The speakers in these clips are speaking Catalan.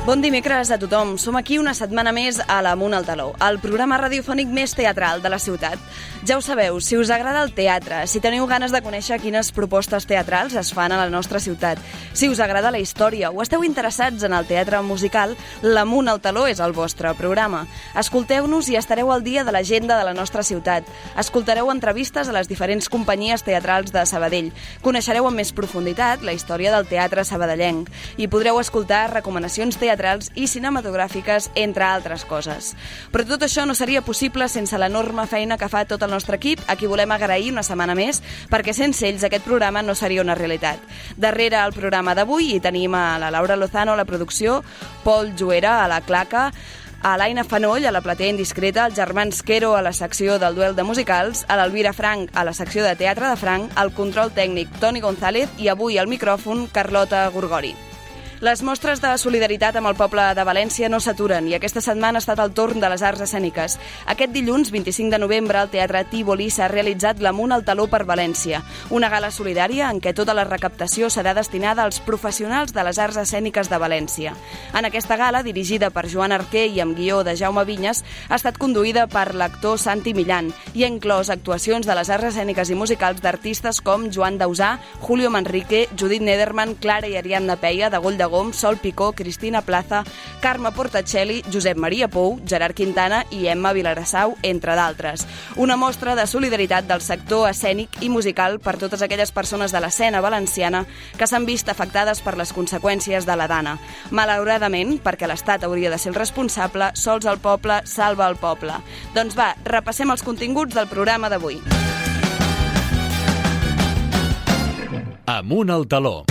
Bon dimecres a tothom. Som aquí una setmana més a l'Amunt al Taló, el programa radiofònic més teatral de la ciutat. Ja ho sabeu, si us agrada el teatre, si teniu ganes de conèixer quines propostes teatrals es fan a la nostra ciutat, si us agrada la història o esteu interessats en el teatre musical, l'Amunt al Taló és el vostre programa. Escolteu-nos i estareu al dia de l'agenda de la nostra ciutat. Escoltareu entrevistes a les diferents companyies teatrals de Sabadell. Coneixereu amb més profunditat la història del teatre sabadellenc i podreu escoltar recomanacions teatrals i cinematogràfiques, entre altres coses. Però tot això no seria possible sense l'enorme feina que fa tot el nostre equip, a qui volem agrair una setmana més, perquè sense ells aquest programa no seria una realitat. Darrere el programa d'avui hi tenim a la Laura Lozano a la producció, Pol Juera a la claca, a l'Aina Fanoll, a la platea indiscreta, al Germans Quero a la secció del duel de musicals, a l'Elvira Frank a la secció de teatre de Frank, al control tècnic Toni González i avui al micròfon Carlota Gorgori. Les mostres de solidaritat amb el poble de València no s'aturen i aquesta setmana ha estat el torn de les arts escèniques. Aquest dilluns, 25 de novembre, al Teatre Tívoli s'ha realitzat l'Amunt al Taló per València, una gala solidària en què tota la recaptació serà destinada als professionals de les arts escèniques de València. En aquesta gala, dirigida per Joan Arquer i amb guió de Jaume Vinyes, ha estat conduïda per l'actor Santi Millán i ha inclòs actuacions de les arts escèniques i musicals d'artistes com Joan Dausà, Julio Manrique, Judit Nederman, Clara i Ariadna Peia, de Goll de Gom, Sol Picó, Cristina Plaza, Carme Portacelli, Josep Maria Pou, Gerard Quintana i Emma Vilarassau, entre d'altres. Una mostra de solidaritat del sector escènic i musical per totes aquelles persones de l'escena valenciana que s'han vist afectades per les conseqüències de la dana. Malauradament, perquè l'Estat hauria de ser el responsable, sols el poble salva el poble. Doncs va, repassem els continguts del programa d'avui. Amunt al Taló.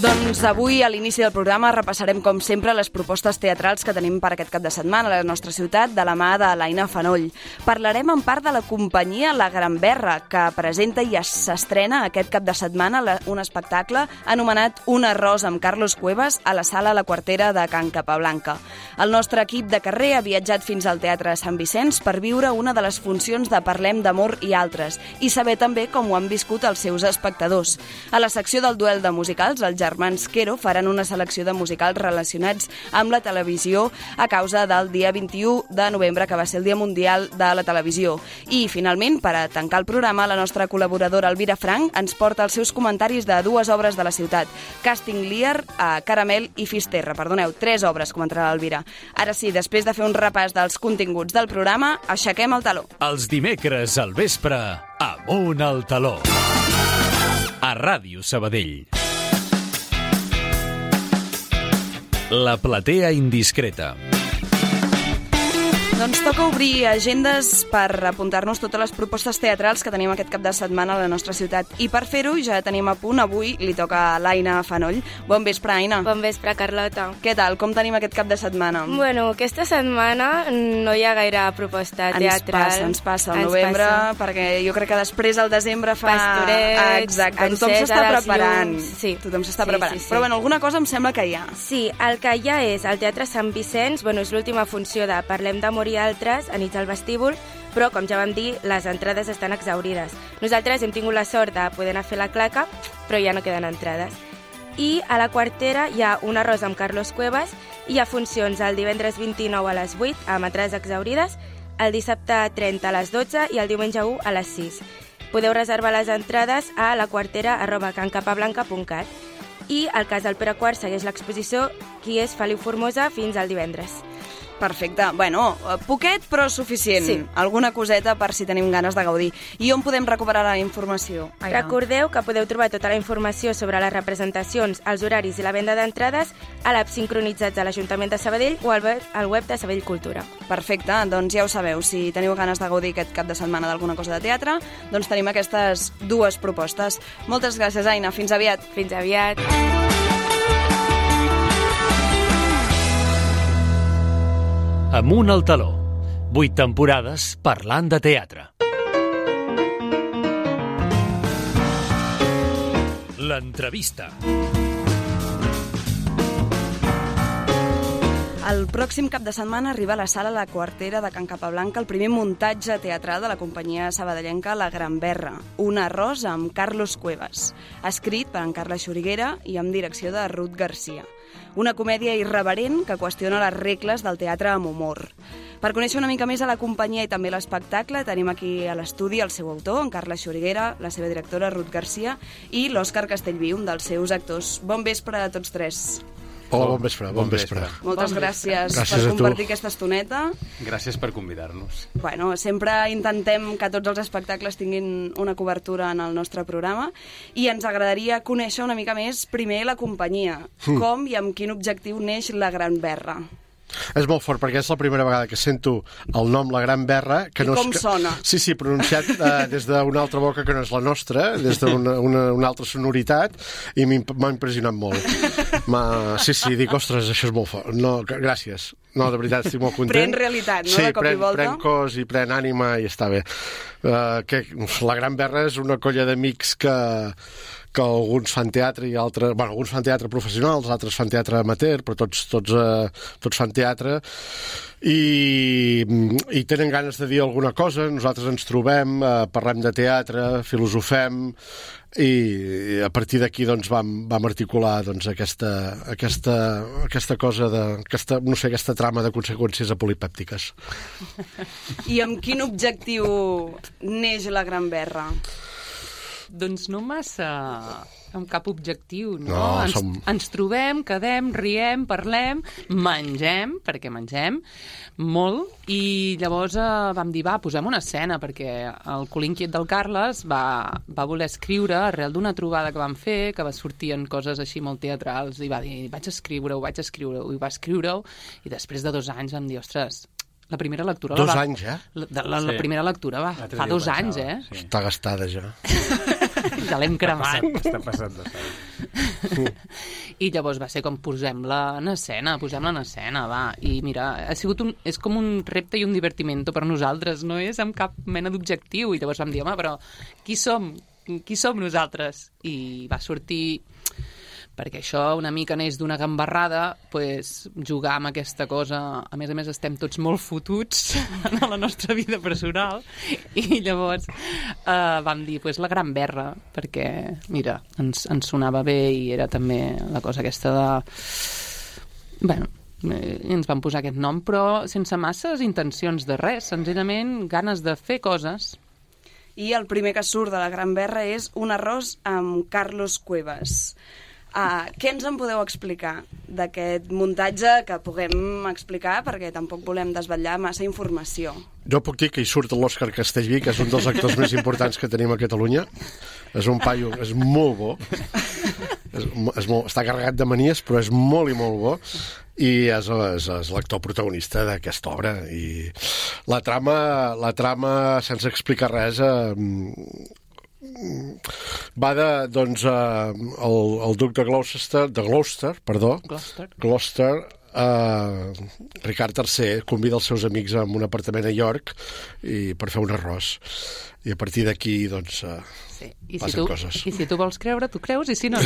Doncs avui, a l'inici del programa, repassarem, com sempre, les propostes teatrals que tenim per aquest cap de setmana a la nostra ciutat, de la mà de l'Aina Fanoll. Parlarem en part de la companyia La Gran Berra, que presenta i s'estrena aquest cap de setmana un espectacle anomenat Un arròs amb Carlos Cuevas a la sala La Quartera de Can Capablanca. El nostre equip de carrer ha viatjat fins al Teatre Sant Vicenç per viure una de les funcions de Parlem d'amor i altres, i saber també com ho han viscut els seus espectadors. A la secció del duel de musicals, el Germans Quero faran una selecció de musicals relacionats amb la televisió a causa del dia 21 de novembre, que va ser el Dia Mundial de la Televisió. I, finalment, per a tancar el programa, la nostra col·laboradora Elvira Frank ens porta els seus comentaris de dues obres de la ciutat, Casting Lear, Caramel i Fisterra. Perdoneu, 3 obres, comentarà l'Elvira. Ara sí, després de fer un repàs dels continguts del programa, aixequem el taló. Els dimecres al vespre, Amunt al Taló. A Ràdio Sabadell. La platea indiscreta. Doncs toca obrir agendes per apuntar-nos totes les propostes teatrals que tenim aquest cap de setmana a la nostra ciutat. I per fer-ho ja tenim a punt, avui li toca a l'Aina Fanoll. Bon vespre, Aina. Bon vespre, Carlota. Què tal? Com tenim aquest cap de setmana? Bueno, aquesta setmana no hi ha gaire proposta teatral. Ens passa el novembre, perquè jo crec que després el desembre fa... Pastorets, exacte, tothom s'està preparant. Sí. Tothom s'està preparant. Sí. Però bueno, alguna cosa em sembla que hi ha. Sí, el que hi ha és el Teatre Sant Vicenç, bueno, és l'última funció de Parlem d'amor i altres, anits al vestíbul, però, com ja vam dir, les entrades estan exaurides. Nosaltres hem tingut la sort de poder anar a fer la claca, però ja no queden entrades. I a la Quartera hi ha Un arròs amb Carlos Cuevas, i hi ha funcions el divendres 29 a les 8, amb entrades exaurides, el dissabte 30 a les 12 i el diumenge 1 a les 6. Podeu reservar les entrades a laquartera@cancapablanca.cat. I el cas del Pere IV segueix l'exposició Qui és Feliu Formosa fins al divendres. Perfecte. Bueno, poquet però suficient. Sí. Alguna coseta per si tenim ganes de gaudir. I on podem recuperar la informació? Recordeu que podeu trobar tota la informació sobre les representacions, els horaris i la venda d'entrades a l'app Sincronitzats de l'Ajuntament de Sabadell o al web de Sabadell Cultura. Perfecte, doncs ja ho sabeu. Si teniu ganes de gaudir aquest cap de setmana d'alguna cosa de teatre, doncs tenim aquestes dues propostes. Moltes gràcies, Aina. Fins aviat. Fins aviat. Amunt al Taló. 8 temporades parlant de teatre. L'entrevista. El pròxim cap de setmana arriba a la sala La Quartera de Can Capablanca el primer muntatge teatral de la companyia sabadellenca La Gran Berra, un arròs amb Carlos Cuevas, escrit per en Carles Xuriguera i amb direcció de Ruth Garcia. Una comèdia irreverent que qüestiona les regles del teatre amb humor. Per conèixer una mica més a la companyia i també l'espectacle, tenim aquí a l'estudi el seu autor, en Carles Xuriguera, la seva directora, Ruth Garcia, i l'Òscar Castellví, un dels seus actors. Bon vespre a tots tres. Hola, bon vespre. Moltes gràcies per compartir aquesta estoneta. Gràcies per convidar-nos. Bueno, sempre intentem que tots els espectacles tinguin una cobertura en el nostre programa i ens agradaria conèixer una mica més primer la companyia. Com i amb quin objectiu neix La Gran Berra? És molt fort, perquè és la primera vegada que sento el nom La Gran Berra. Que I no com és... sona? Sí, pronunciat des d'una altra boca que no és la nostra, des d'una altra sonoritat, i m'ha impressionat molt. Sí, dic, ostres, això és molt fort. No, gràcies. No, de veritat, estic molt content. Pren realitat, no?, de cop i volta. Sí, pren cos i pren ànima i està bé. La Gran Berra és una colla d'amics que alguns fan teatre i altres... Bueno, alguns fan teatre professional, els altres fan teatre amateur, però tots fan teatre i tenen ganes de dir alguna cosa. Nosaltres ens trobem, parlem de teatre, filosofem i a partir d'aquí doncs, vam articular doncs, aquesta cosa aquesta trama de conseqüències apolipèptiques. I amb quin objectiu neix La Gran Berra? Doncs no massa amb cap objectiu, no? Ens trobem, quedem, riem, parlem, mengem, perquè mengem molt, i llavors vam dir, posem una escena, perquè el cul inquiet del Carles va voler escriure arrel d'una trobada que vam fer, que va sortir en coses així molt teatrals, i va dir, vaig escriure-ho, i va escriure-ho, i després de 2 anys vam dir, ostres, la primera lectura... 2 anys, La primera lectura fa 2 anys, Sí. Està gastada, ja. Ja l'hem cremat. Està passat de sang. I llavors va ser com posem-la en escena, va. I mira, és com un repte i un divertimento per nosaltres, no és amb cap mena d'objectiu. I llavors vam dir, home, però qui som? Qui som nosaltres? I va sortir... perquè això una mica neix d'una gambarrada, jugar amb aquesta cosa. A més estem tots molt fotuts en la nostra vida personal, i llavors vam dir La Gran Berra, perquè mira, ens sonava bé i era també la cosa aquesta de... Bueno, ens vam posar aquest nom, però sense masses intencions de res, senzillament ganes de fer coses. I el primer que surt de La Gran Berra és un arròs amb Carlos Cuevas. Què ens en podeu explicar d'aquest muntatge que puguem explicar, perquè tampoc volem desvetllar massa informació? Jo puc dir que hi surt l'Òscar Castellví, que és un dels actors més importants que tenim a Catalunya. És un paio, és molt bo. Està carregat de manies, però és molt i molt bo. I és l'actor protagonista d'aquesta obra. I la trama, sense explicar res, va el duc de Gloucester, Ricard III convida els seus amics a un apartament a York per fer un arròs, i a partir d'aquí passen coses. I si tu vols creure, tu creus, i si no.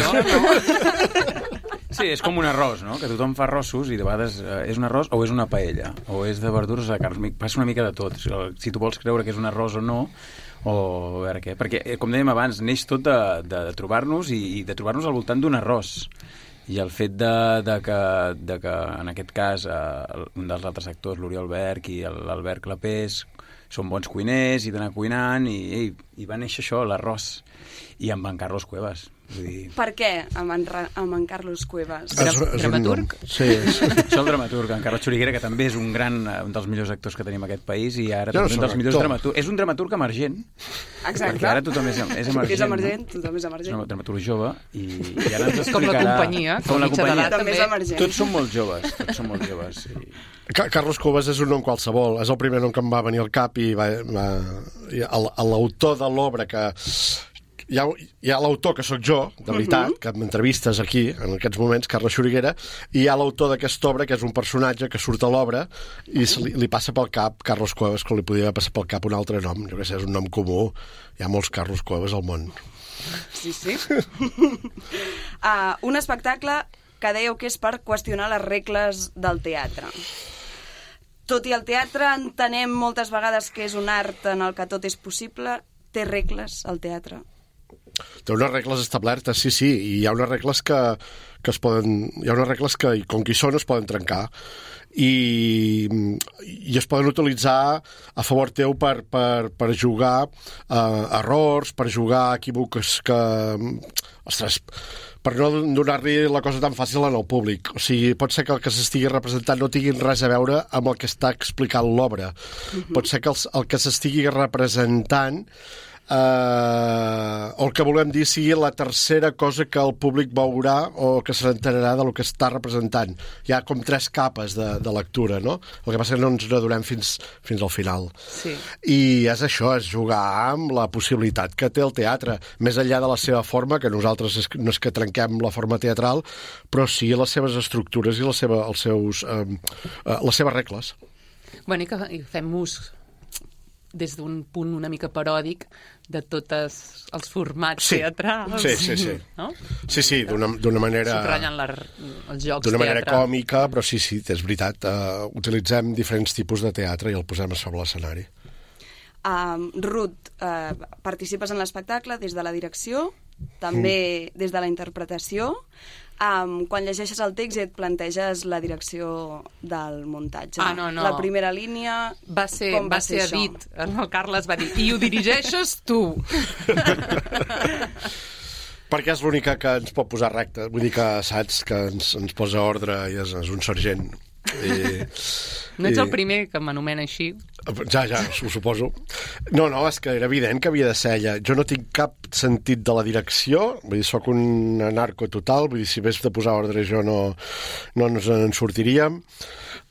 Sí, és com un arròs, no? Que tothom fa arrossos i de vegades és un arròs o és una paella, o és de verdures o de carn. Passa una mica de tot. Si tu vols creure que és un arròs o no, o a veure què. Perquè, com dèiem abans, neix tot de trobar-nos i de trobar-nos al voltant d'un arròs. I el fet de que en aquest cas un dels altres actors, l'Oriol Berg i l'Albert Clapés, són bons cuiners i d'anar cuinant, i va néixer això, l'arròs. I amb en Carlos Cuevas. Vull dir... Per què amb en Carlos Cuevas? Dramaturg? Sí, és el dramaturg, en Carles Xuriguera, que també és un dels millors actors que tenim a aquest país, i ara també un dels millors dramaturgs. És un dramaturg emergent. Exacte. Perquè ara tothom és emergent. És emergent, tothom és emergent. És un dramaturg jove, i ara ens explicarà... Com la companyia. Com la companyia. També és emergent. Tots són molt joves. Carlos Cuevas és un nom qualsevol. És el primer nom que em va venir al cap, i l'autor de l'obra que... Hi ha l'autor, que sóc jo, de veritat, que m'entrevistes aquí, en aquests moments, Carles Xuriguera, i hi ha l'autor d'aquesta obra, que és un personatge que surt a l'obra i li passa pel cap Carlos Cuevas, que li podia passar pel cap un altre nom. Jo què sé, és un nom comú. Hi ha molts Carlos Cuevas al món. Sí. Un espectacle que dèieu que és per qüestionar les regles del teatre. Tot i el teatre entenem moltes vegades que és un art en el que tot és possible, té regles el teatre? Té unes regles establertes, sí, i hi ha unes regles que es poden... Hi ha unes regles que, com que hi són, es poden trencar i es poden utilitzar a favor teu per jugar errors, per jugar equívocs que... Ostres, per no donar-li la cosa tan fàcil al públic. O sigui, pot ser que el que s'estigui representant no tingui res a veure amb el que està explicant l'obra. Pot ser que el que s'estigui representant o el que volem dir sigui la tercera cosa que el públic veurà o que s'enterarà del que està representant. Hi ha com 3 capes de lectura, no? El que passa que no ens n'adonem fins al final. Sí. I és això, és jugar amb la possibilitat que té el teatre, més enllà de la seva forma, que nosaltres no és que trenquem la forma teatral, però sí les seves estructures i les seves regles. Bueno, i fem ús des d'un punt una mica paròdic de tots els formats teatrals. Sí. No? Sí, d'una manera... Subratllant els jocs d'una manera teatre. còmica, però sí, és veritat. Utilitzem diferents tipus de teatre i el posem a sobre l'escenari. Ruth, participes en l'espectacle des de la direcció, també des de la interpretació. Quan llegeixes el text i et planteges la direcció del muntatge. No. La primera línia... Va ser dit. El Carles va dir, i ho dirigeixes tu. Perquè és l'única que ens pot posar recte. Vull dir que saps que ens posa ordre i és un sergent. No ets el primer que m'anomena així. Ja, ho suposo. No, és que era evident que havia de ser ella. Jo no tinc cap sentit de la direcció, vull dir, soc un anarco total, vull dir, si hagués de posar ordre jo no ens en sortiríem.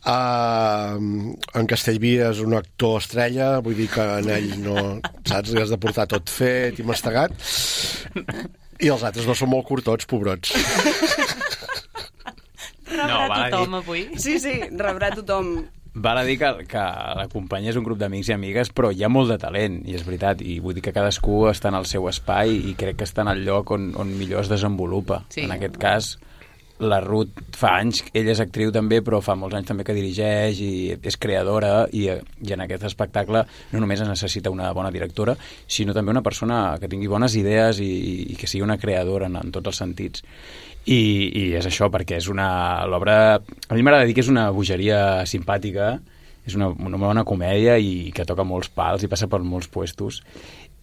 En Castellví és un actor estrella, vull dir que en ell no, saps, li has de portar tot fet i mastegat. I els altres no són molt curtots, pobrots. Rebrà tothom avui. Sí, rebrà tothom. Val a dir que la companyia és un grup d'amics i amigues, però hi ha molt de talent, i és veritat, i vull dir que cadascú està en el seu espai i crec que està en el lloc on millor es desenvolupa. Sí. En aquest cas, la Ruth fa anys, ella és actriu també, però fa molts anys també que dirigeix i és creadora, i en aquest espectacle no només es necessita una bona directora, sinó també una persona que tingui bones idees i que sigui una creadora en tots els sentits. I és això, perquè és l'obra... A mi m'agrada dir que és una bogeria simpàtica, és una bona comèdia i que toca molts pals i passa per molts puestos.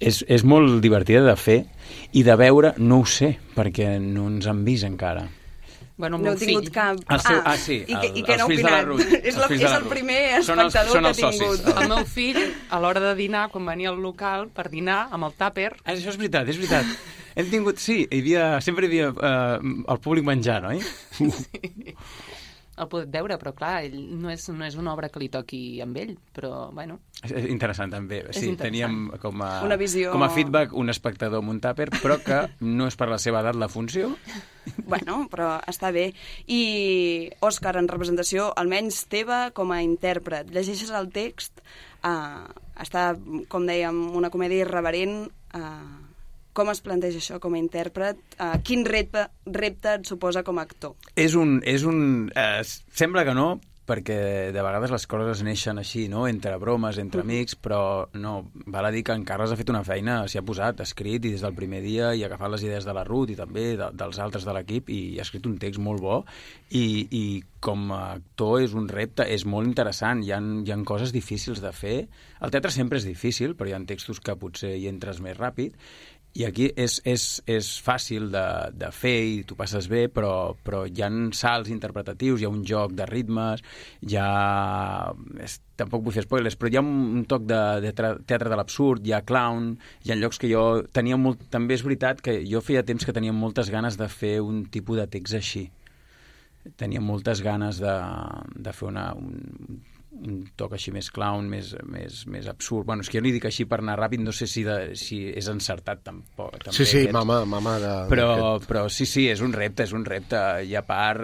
És molt divertida de fer i de veure, no ho sé, perquè no ens han vist encara. Bueno, no he tingut cap... Sí. I què n'ha opinat? És el primer espectador que he tingut. El meu fill, a l'hora de dinar, quan venia al local per dinar, amb el tàper... Això és veritat. Hem tingut... Sí, sempre hi havia el públic menjant, oi? Sí. El podem veure, però clar, ell no és una obra que li toqui amb ell, però, bueno... És interessant, també. Sí, teníem com una visió... com a feedback un espectador amb un tàper, però que no és per la seva edat la funció. Bueno, però està bé. I, Òscar, en representació, almenys teva com a intèrpret, llegeixes el text, està, com dèiem, una comèdia irreverent... Com es planteja això com a intèrpret? Quin repte et suposa com a actor? Sembla que no, perquè de vegades les coses neixen així, no? Entre bromes, entre amics, però no, val a dir que en Carles ha fet una feina, s'hi ha posat, ha escrit, i des del primer dia i ha agafat les idees de la Ruth i també dels altres de l'equip, i ha escrit un text molt bo, i com a actor és un repte, és molt interessant, hi ha coses difícils de fer. El teatre sempre és difícil, però hi ha textos que potser hi entres més ràpid, i aquí és fàcil de fer i tu passes bé, però hi ha salts interpretatius, hi ha un joc de ritmes, tampoc vull fer spoilers, però hi ha un toc de teatre de l'absurd, hi ha clown, hi ha llocs que jo tenia molt... També és veritat que jo feia temps que tenia moltes ganes de fer un tipus de text així. Tenia moltes ganes de fer toc així més clown, més absurd. Bueno, és que jo li dic així per anar ràpid, no sé si és encertat tampoc. Sí, mama de... Però sí, és un repte, i a part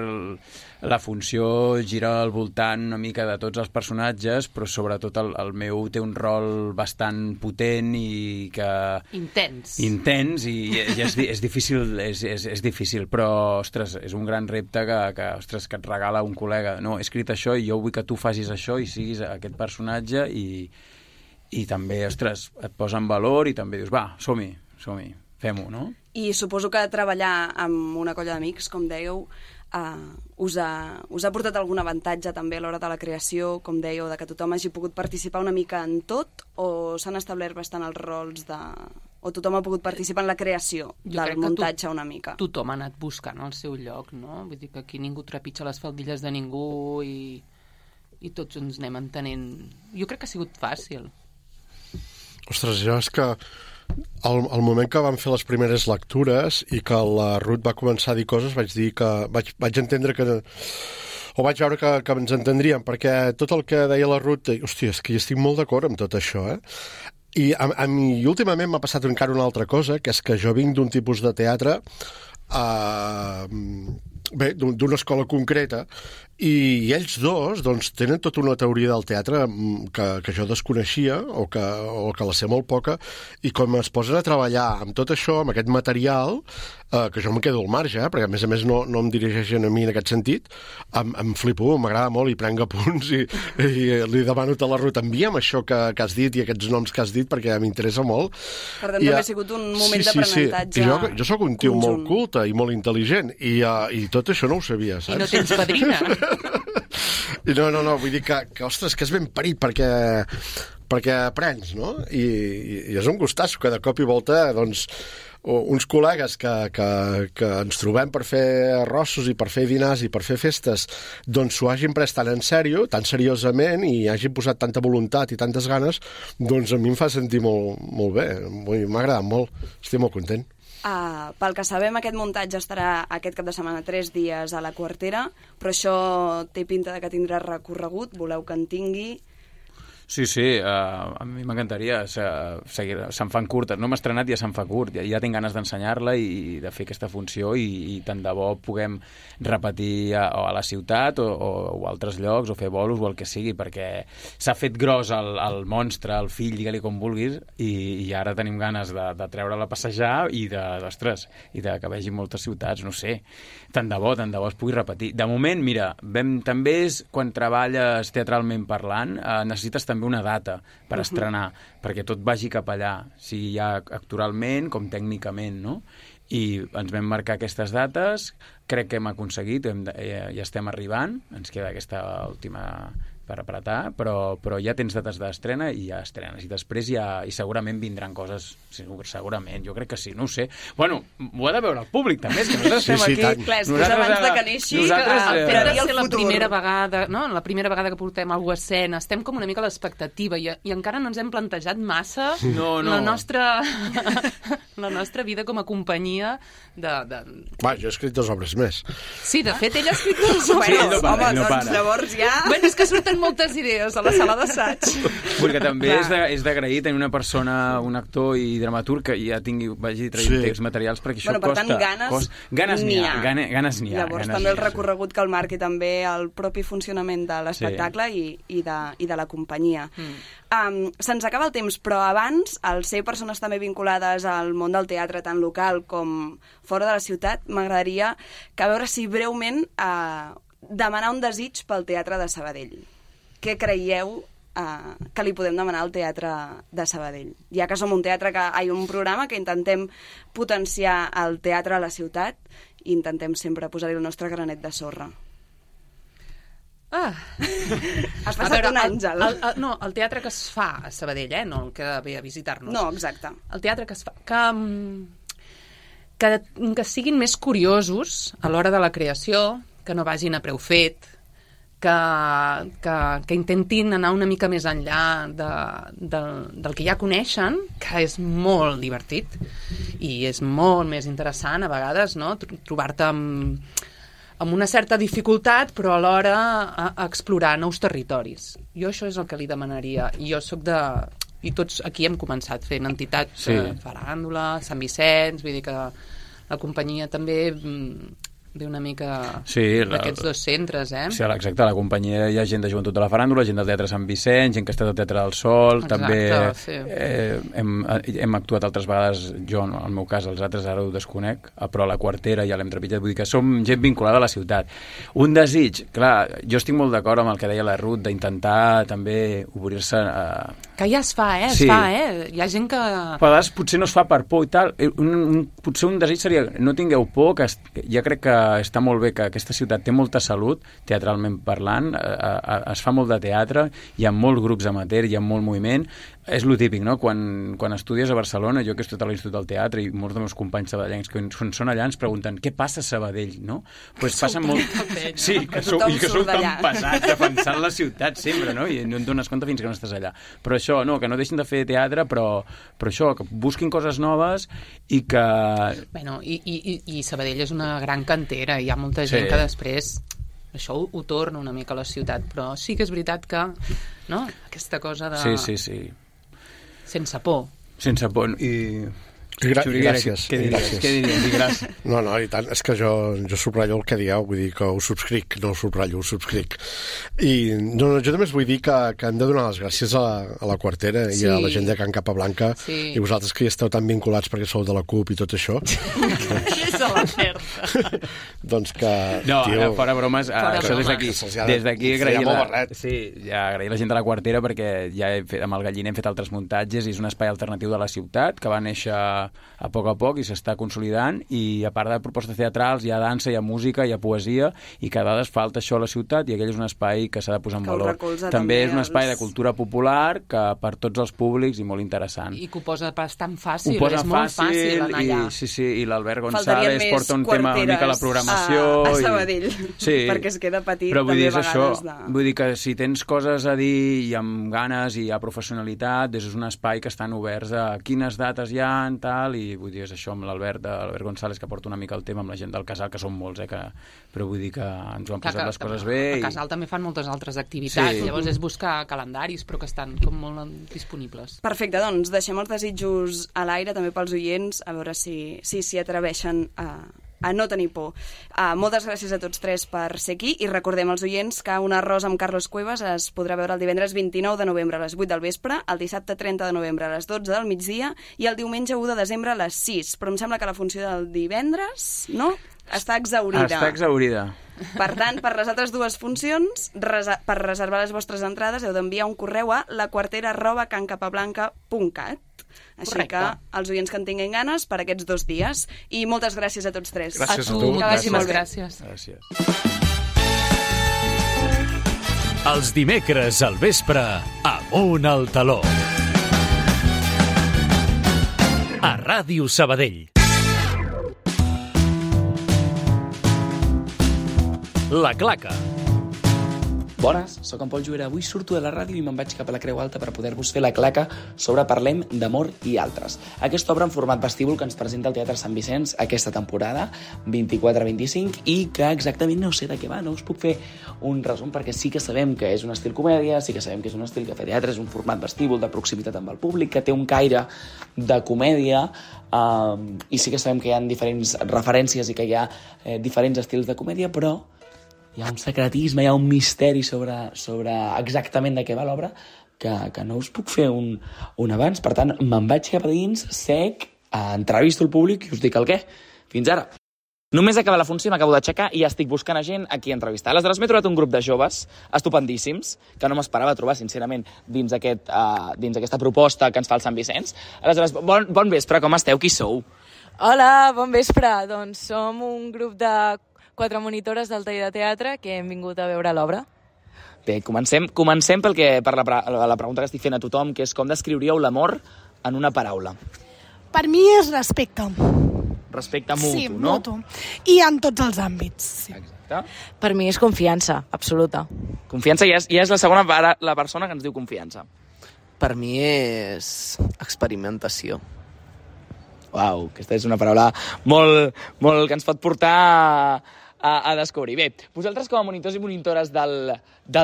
la funció gira al voltant una mica de tots els personatges, però sobretot el meu té un rol bastant potent i que... Intens, i és difícil, però, ostres, és un gran repte que et regala un col·lega. No, he escrit això i jo vull que tu facis això i siguis aquest personatge i també, ostres, et posa en valor i també dius, va, som-hi, fem-ho, no? I suposo que treballar amb una colla d'amics, com dèieu, us ha portat algun avantatge també a l'hora de la creació, com dèieu, de que tothom hagi pogut participar una mica en tot, o s'han establert bastant els rols o tothom ha pogut participar en la creació del muntatge una mica? Tothom ha anat buscant el seu lloc, no? Vull dir que aquí ningú trepitja les faldilles de ningú i tots ens anem entenent. Jo crec que ha sigut fàcil. Ostres, jo és que al moment que vam fer les primeres lectures i que la Ruth va començar a dir coses, vaig entendre que... o vaig veure que ens entendríem, perquè tot el que deia la Ruth, hòstia, és que hi estic molt d'acord amb tot això, I últimament m'ha passat encara una altra cosa, que és que jo vinc d'un tipus de teatre, d'una escola concreta, i ells dos doncs, tenen tota una teoria del teatre que jo desconeixia o que la sé molt poca, i com es posen a treballar amb tot això, amb aquest material, que jo em quedo al marge, perquè a més no em dirigeixen a mi en aquest sentit, em flipo, m'agrada molt i prenc apunts i li demano a la Ruth, envia'm això que has dit i aquests noms que has dit perquè m'interessa molt. Per tant, també ha sigut un moment d'aprenentatge. Sí. Jo sóc un tio molt culte i molt intel·ligent i tot això no ho sabia, saps? I no tens padrina. No, vull dir que ostres, que és ben parit perquè aprens, no? I és un gustasso que de cop i volta, doncs, uns col·legues que ens trobem per fer arrossos i per fer dinars i per fer festes, doncs s'ho hagin pres tan en sèrio, tan seriosament, i hagin posat tanta voluntat i tantes ganes, doncs a mi em fa sentir molt bé. M'ha agradat molt, estic molt content. Pel que sabem, aquest muntatge estarà aquest cap de setmana 3 dies a la Quartera, però això té pinta de que tindrà recorregut, voleu que en tingui? Sí, a mi m'encantaria seguir. Se'n fan curtes, no m'he estrenat, ja se'n fa curt, ja tinc ganes d'ensenyar-la i de fer aquesta funció i tant de bo puguem repetir a la ciutat o a altres llocs o fer bolos o el que sigui, perquè s'ha fet gros el monstre, el fill, digue-li com vulguis, i ara tenim ganes de treure-la a passejar i de que vegi moltes ciutats, no sé, tant de bo es pugui repetir. De moment, mira, també és quan treballes teatralment parlant, necessites també una data per estrenar, perquè tot vagi cap allà, sigui ja actoralment com tècnicament, no? I ens vam marcar aquestes dates, crec que hem aconseguit, ja estem arribant, ens queda aquesta última per apretar, però ja tens dates d'estrena i ja estrenes, i després i segurament vindran coses, segurament, jo crec que sí, no ho sé. Bueno, ho ha de veure el públic també, és que nosaltres estem aquí... Clar, és abans de que neixi, la primera vegada, no? La primera vegada que portem alguna cosa a escena, estem com una mica a l'expectativa i encara no ens hem plantejat massa la nostra vida com a companyia de... Va, jo he escrit 2 obres més. Sí, de fet, ell ha escrit 2 obres. Doncs llavors ja... Bueno, és que surten moltes idees a la sala d'assaig. Vull que també és d'agrair tenir una persona, un actor i dramaturg que ja vagi traient texts materials, perquè això costa... Per tant, ganes n'hi ha. Llavors també el recorregut que el marqui també el propi funcionament de l'espectacle i de la companyia. Se'ns acaba el temps, però abans, al ser persones també vinculades al món del teatre, tant local com fora de la ciutat, m'agradaria que a veure si breument demanar un desig pel Teatre de Sabadell. Què creieu que li podem demanar al Teatre de Sabadell? Ja que som un programa que intentem potenciar el teatre a la ciutat i intentem sempre posar-hi el nostre granet de sorra. Has passat un àngel. No, el teatre que es fa a Sabadell, no el que ve a visitar-nos. No, exacte. El teatre que es fa... Que siguin més curiosos a l'hora de la creació, que no vagin a preu fet, que intentin anar una mica més enllà del que ja coneixen, que és molt divertit i és molt més interessant a vegades, no? Trobar-te amb una certa dificultat, però alhora a explorar nous territoris. Jo això és el que li demanaria. Jo sóc de... I tots aquí hem començat fent entitats, Faràndula, Sant Vicenç, vull dir que la companyia també ve una mica d'aquests dos centres, Sí, exacte, a la companyia hi ha gent de Joventut de la Faràndula, gent del Teatre Sant Vicenç, gent que està al Teatre del Sol, també hem actuat altres vegades, jo en el meu cas, els altres ara ho desconec, però a la Quartera i a l'Hem Trepitjat, vull dir que som gent vinculada a la ciutat. Un desig, clar, jo estic molt d'acord amb el que deia la Ruth, d'intentar també obrir-se a... Que ja es fa, es fa. Hi ha gent que... A vegades potser no es fa per por i tal. Potser un desig seria no tingueu por, que ja crec que està molt bé que aquesta ciutat té molta salut, teatralment parlant, es fa molt de teatre, hi ha molts grups amateur, hi ha molt moviment. És lo típic, no? Quan estudies a Barcelona, jo que he estudiat a l'Institut del Teatre i molts dels meus companys sabadellencs que quan són allà ens pregunten què passa a Sabadell, no? Pues passa molt... Sí, que sou tan pesats defensant la ciutat sempre, no? I no et dones compte fins que no estàs allà. Però això, no, que no deixin de fer teatre, però això, que busquin coses noves i que... Bueno, i Sabadell és una gran cantera, hi ha molta gent que després... Això ho torna una mica a la ciutat, però sí que és veritat que, no?, aquesta cosa de... Sí. Sense por. Sense por. Gràcies. Què diries? No, i tant, és que jo subratllo el que dieu, vull dir que ho subscric, no ho subratllo, ho subscric. I no, jo també us vull dir que hem de donar les gràcies a la Quartera i a la gent de Can Capablanca i vosaltres que hi esteu tan vinculats perquè sou de la CUP i tot això. És a la certa. Doncs que... No, fora bromes, això des d'aquí agrair la gent de la Quartera perquè ja amb el Galliner hem fet altres muntatges i és un espai alternatiu de la ciutat que va néixer a poc i s'està consolidant i a part de propostes teatrals hi ha dansa, hi ha música, hi ha poesia i que a vegades falta això a la ciutat i aquell és un espai que s'ha de posar en valor. També és un espai de cultura popular que per tots els públics i molt interessant. I que ho posa bastant fàcil, és molt fàcil anar allà. Sí, i l'Albert González porta un tema una mica a la programació. A Sabadell, perquè es queda petit però també a vegades això, vull dir que si tens coses a dir i amb ganes i a professionalitat, és un espai que estan oberts a quines dates hi ha tal, i vull dir, és això amb l'Albert González que porta una mica el tema amb la gent del Casal, que són molts, però vull dir que ens ho han posat les coses bé. A Casal també fan moltes altres activitats, llavors és buscar calendaris, però que estan com molt disponibles. Perfecte, doncs deixem els desitjos a l'aire també pels oients, a veure si s'hi atreveixen a no tenir por. Moltes gràcies a tots tres per ser aquí i recordem als oients que Un arròs amb Carlos Cuevas es podrà veure el divendres 29 de novembre a les 8 del vespre, el dissabte 30 de novembre a les 12 del migdia i el diumenge 1 de desembre a les 6. Però em sembla que la funció del divendres, no?, està exhaurida. Està exhaurida. Per tant, per les altres dues funcions, per reservar les vostres entrades heu d'enviar un correu a laquartera@cancapablanca.cat. Així que els oients que en tinguin ganes per aquests 2 dies. I moltes gràcies a tots tres. Gràcies a tu. Moltíssimes gràcies. Els dimecres al vespre, Amunt al Taló. A Ràdio Sabadell. La Claca. Bones, sóc en Pol Juera. Avui surto de la ràdio i me'n vaig cap a la Creu Alta per poder-vos fer la claca sobre Parlem d'amor i altres. Aquesta obra en format vestíbul que ens presenta el Teatre Sant Vicenç aquesta temporada, 24-25, i que exactament no sé de què va, no us puc fer un resum perquè sí que sabem que és un estil comèdia, sí que sabem que és un estil que fa teatre, és un format vestíbul de proximitat amb el públic, que té un caire de comèdia, i sí que sabem que hi ha diferents referències i que hi ha diferents estils de comèdia, però hi ha un secretisme, hi ha un misteri sobre exactament de què va l'obra que no us puc fer un abans. Per tant, me'n vaig cap a dins, sec, entrevisto el públic i us dic el què. Fins ara. Només acaba la funció, m'acabo d'aixecar i ja estic buscant a gent a qui entrevistar. Aleshores, m'he trobat un grup de joves estupendíssims, que no m'esperava trobar, sincerament, dins aquesta proposta que ens fa el Sant Vicenç. Aleshores, bon vespre, com esteu? Qui sou? Hola, bon vespre. Doncs som un grup de 4 monitores del taller de teatre que hem vingut a veure l'obra. Bé, comencem per la pregunta que estic fent a tothom, que és com descriuríeu l'amor en una paraula? Per mi és respecte. Respecte mutu, sí, no? Mutu. I en tots els àmbits. Sí. Exacte. Per mi és confiança, absoluta. Confiança, ja és la segona la persona que ens diu confiança. Per mi és experimentació. Uau, aquesta és una paraula molt que ens pot portar a descobrir. Bé, vosaltres com a monitors i monitores del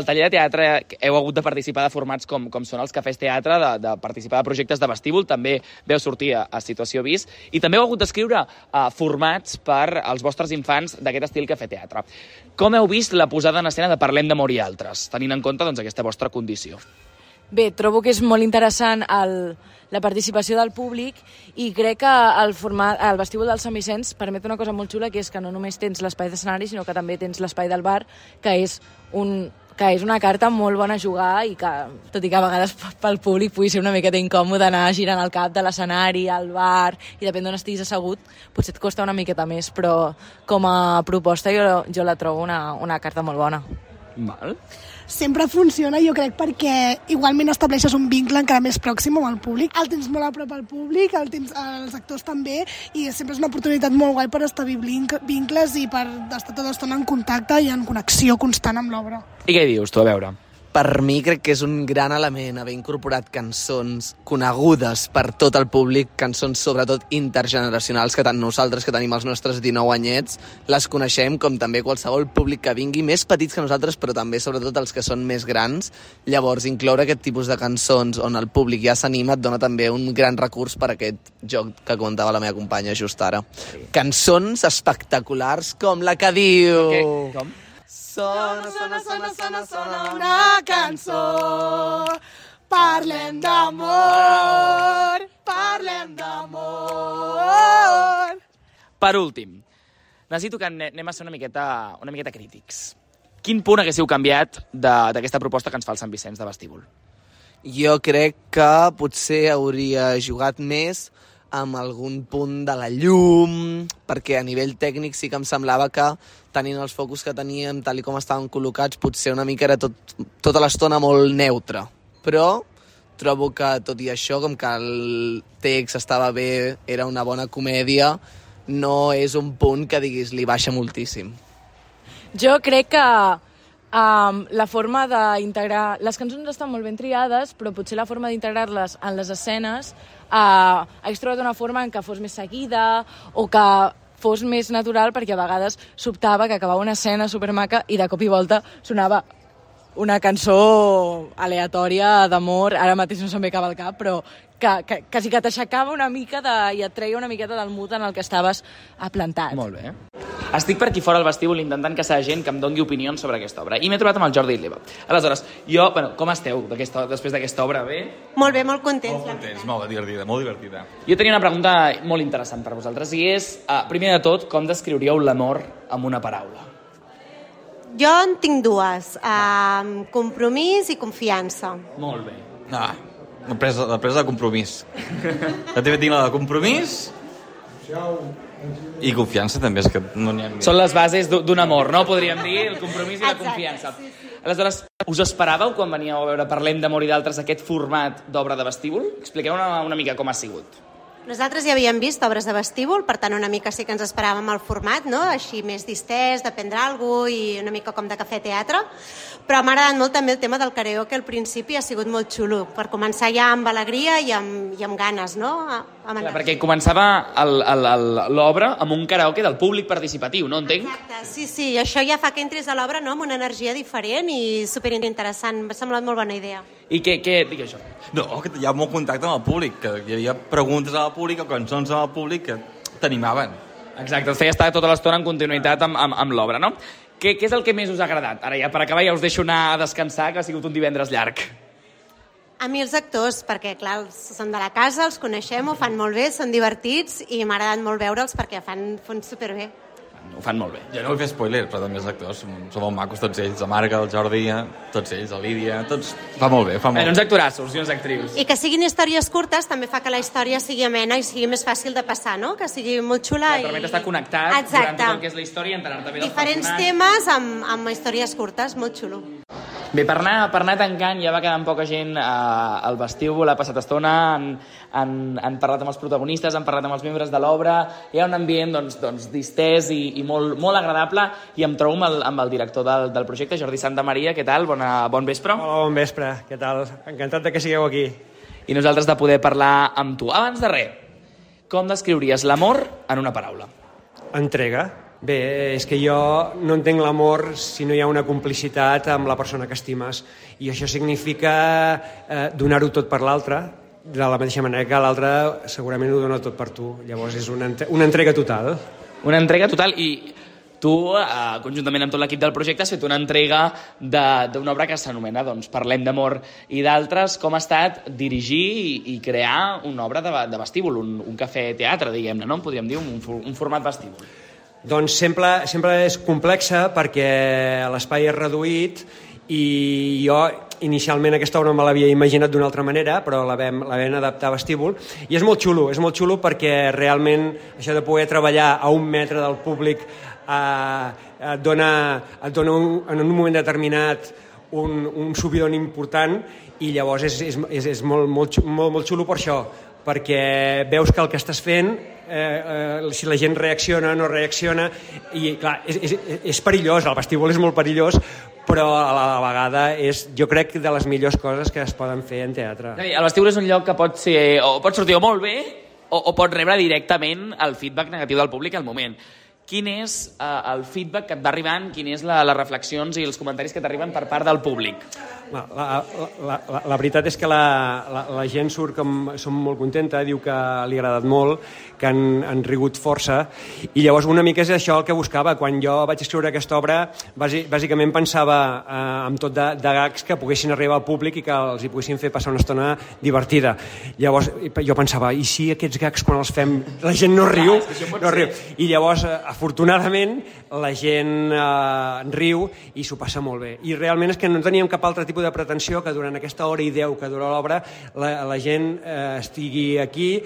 taller de teatre heu hagut de participar de formats com són els cafès teatre, de participar de projectes de vestíbul, també veu sortir a Situació Vis, i també heu hagut d'escriure formats per als vostres infants d'aquest estil cafè teatre. Com heu vist la posada en escena de Parlem d'amor i altres, tenint en compte aquesta vostra condició? Bé, trobo que és molt interessant la participació del públic i crec que el vestíbul del Sant Vicenç permet una cosa molt xula, que és que no només tens l'espai d'escenari, sinó que també tens l'espai del bar, que és una carta molt bona a jugar i que, tot i que a vegades pel públic pugui ser una miqueta incòmode anar girant el cap de l'escenari, al bar, i depèn d'on estiguis assegut, potser et costa una miqueta més, però com a proposta jo la trobo una carta molt bona. Val. Sempre funciona, jo crec, perquè igualment estableixes un vincle encara més pròxim amb el públic. El tens molt a prop al públic, els actors també, i sempre és una oportunitat molt guai per establir vincles i per estar tota l'estona en contacte i en connexió constant amb l'obra. I què dius, tu, a veure? Per mi crec que és un gran element haver incorporat cançons conegudes per tot el públic, cançons sobretot intergeneracionals, que tant nosaltres, que tenim els nostres 19 anyets, les coneixem, com també qualsevol públic que vingui, més petits que nosaltres, però també sobretot els que són més grans. Llavors, incloure aquest tipus de cançons on el públic ja s'anima et dona també un gran recurs per a aquest joc que comentava la meva companya just ara. Sí. Cançons espectaculars com la que diu... Okay. Com? Sona una cançó, parlem d'amor, parlem d'amor. Per últim, necessito que anem a ser una miqueta crítics. Quin punt haguéssiu canviat d'aquesta proposta que ens fa el Sant Vicenç de vestíbul? Jo crec que potser hauria jugat més amb algun punt de la llum, perquè a nivell tècnic sí que em semblava que tenint els focus que teníem, tal i com estaven col·locats, potser una mica era tota l'estona molt neutre. Però trobo que, tot i això, com que el text estava bé, era una bona comèdia, no és un punt que diguis li baixa moltíssim. Jo crec que la forma d'integrar... Les cançons estan molt ben triades, però potser la forma d'integrar-les en les escenes hagués trobat una forma en què fos més seguida o que fos més natural, perquè a vegades sobtava que acabava una escena supermaca i de cop i volta sonava una cançó aleatòria d'amor, ara mateix no se'm ve cap al cap, però que quasi que t'aixecava una mica i et treia una miqueta del mood en el que estaves plantat. Molt bé. Estic per aquí fora al vestíbul intentant que sigui gent que em doni opinions sobre aquesta obra. I m'he trobat amb el Jordi Leva. Aleshores, com esteu després d'aquesta obra? Bé? Molt bé, molt contents. Molt contents, molt divertida. Jo tenia una pregunta molt interessant per vosaltres i és, primer de tot, com descriuríeu l'amor amb una paraula? Jo en tinc dues, compromís i confiança. Molt bé. La presa de compromís. Jo també tinc la de compromís i confiança també, és que no n'hi ha més. Són les bases d'un amor, no? Podríem dir, el compromís i la confiança. Aleshores, us esperàveu quan veníeu a veure Parlem d'amor i d'altres aquest format d'obra de vestíbul? Expliqueu una mica com ha sigut. Nosaltres ja havíem vist obres de vestíbul, per tant una mica sí que ens esperàvem el format, no? Així més distès, d'aprendre alguna cosa i una mica com de cafè-teatre, però m'ha agradat molt també el tema del karaoke al principi, ha sigut molt xulo, per començar ja amb alegria i amb ganes, no? Clar, perquè començava l'obra amb un karaoke del públic participatiu, no entenc? Exacte, sí, això ja fa que entris a l'obra amb una energia diferent i superinteressant, m'ha semblat molt bona idea. I què dic això? No, que hi ha molt contacte amb el públic, que hi havia preguntes al públic o cançons al públic que t'animaven. Exacte, et feia estar tota l'estona en continuïtat amb l'obra, no? Què és el que més us ha agradat? Ara ja per acabar ja us deixo anar a descansar, que ha sigut un divendres llarg. A mi els actors, perquè clar, són de la casa, els coneixem, ho fan molt bé, són divertits i m'ha agradat molt veure'ls perquè fan superbé. Ho fan molt bé. Jo no vull fer spoiler, però també els actors són molt macos tots ells, la Marga, el Jordi, tots ells, la Lídia, tots... Fa molt bé, fa molt bé. Uns actorassos i uns actrius. I que siguin històries curtes també fa que la història sigui amena i sigui més fàcil de passar, no? Que sigui molt xula i... permet estar connectat durant tot el que és la història i enterar-te bé dels diferents temes amb històries curtes, molt xulo. Bé, per anar tancant, ja va quedant poca gent al vestíbul, ha passat estona, han parlat amb els protagonistes, han parlat amb els membres de l'obra, hi ha un ambient distès i molt agradable, i em trobo amb el director del projecte, Jordi Santamaria. Què tal? Bon vespre. Hola, bon vespre. Què tal? Encantat de que sigueu aquí. I nosaltres de poder parlar amb tu. Abans de res, com descriuries l'amor en una paraula? Entrega. Bé, és que jo no entenc l'amor si no hi ha una complicitat amb la persona que estimes, i això significa donar-ho tot per l'altre, de la mateixa manera que l'altre segurament ho dona tot per tu. Llavors és una entrega total. Una entrega total, i tu, conjuntament amb tot l'equip del projecte, has fet una entrega d'una obra que s'anomena Parlem d'amor i d'altres. Com ha estat dirigir i crear una obra de vestíbul, un cafè-teatre, diguem-ne, no? Podríem dir un format vestíbul. Doncs sempre és complexa perquè l'espai és reduït i jo inicialment aquesta obra me l'havia imaginat d'una altra manera, però la vam adaptar a vestíbul, i és molt xulo perquè realment això de poder treballar a 1 metre del públic et dona en un moment determinat un subidon important, i llavors és molt xulo per això, perquè veus que el que estàs fent, si la gent reacciona o no reacciona, i clar, és perillós, el vestíbul és molt perillós, però a la vegada és, jo crec, de les millors coses que es poden fer en teatre. El vestíbul és un lloc que pot sortir molt bé o pot rebre directament el feedback negatiu del públic al moment. Quin és el feedback que et va arribant, quines les reflexions i els comentaris que t'arriben per part del públic? La veritat és que la gent surt som molt contenta, diu que li ha agradat molt, que han rigut força, i llavors una mica és això el que buscava. Quan jo vaig escriure aquesta obra, bàsicament pensava en tot de gags que poguessin arribar al públic i que els hi poguessin fer passar una estona divertida. Llavors jo pensava, i si aquests gags quan els fem la gent no riu? I llavors, afortunadament, la gent riu i s'ho passa molt bé. I realment és que no teníem cap altre tipus de pretensió que durant aquesta hora i 10 que dura l'obra la gent estigui aquí,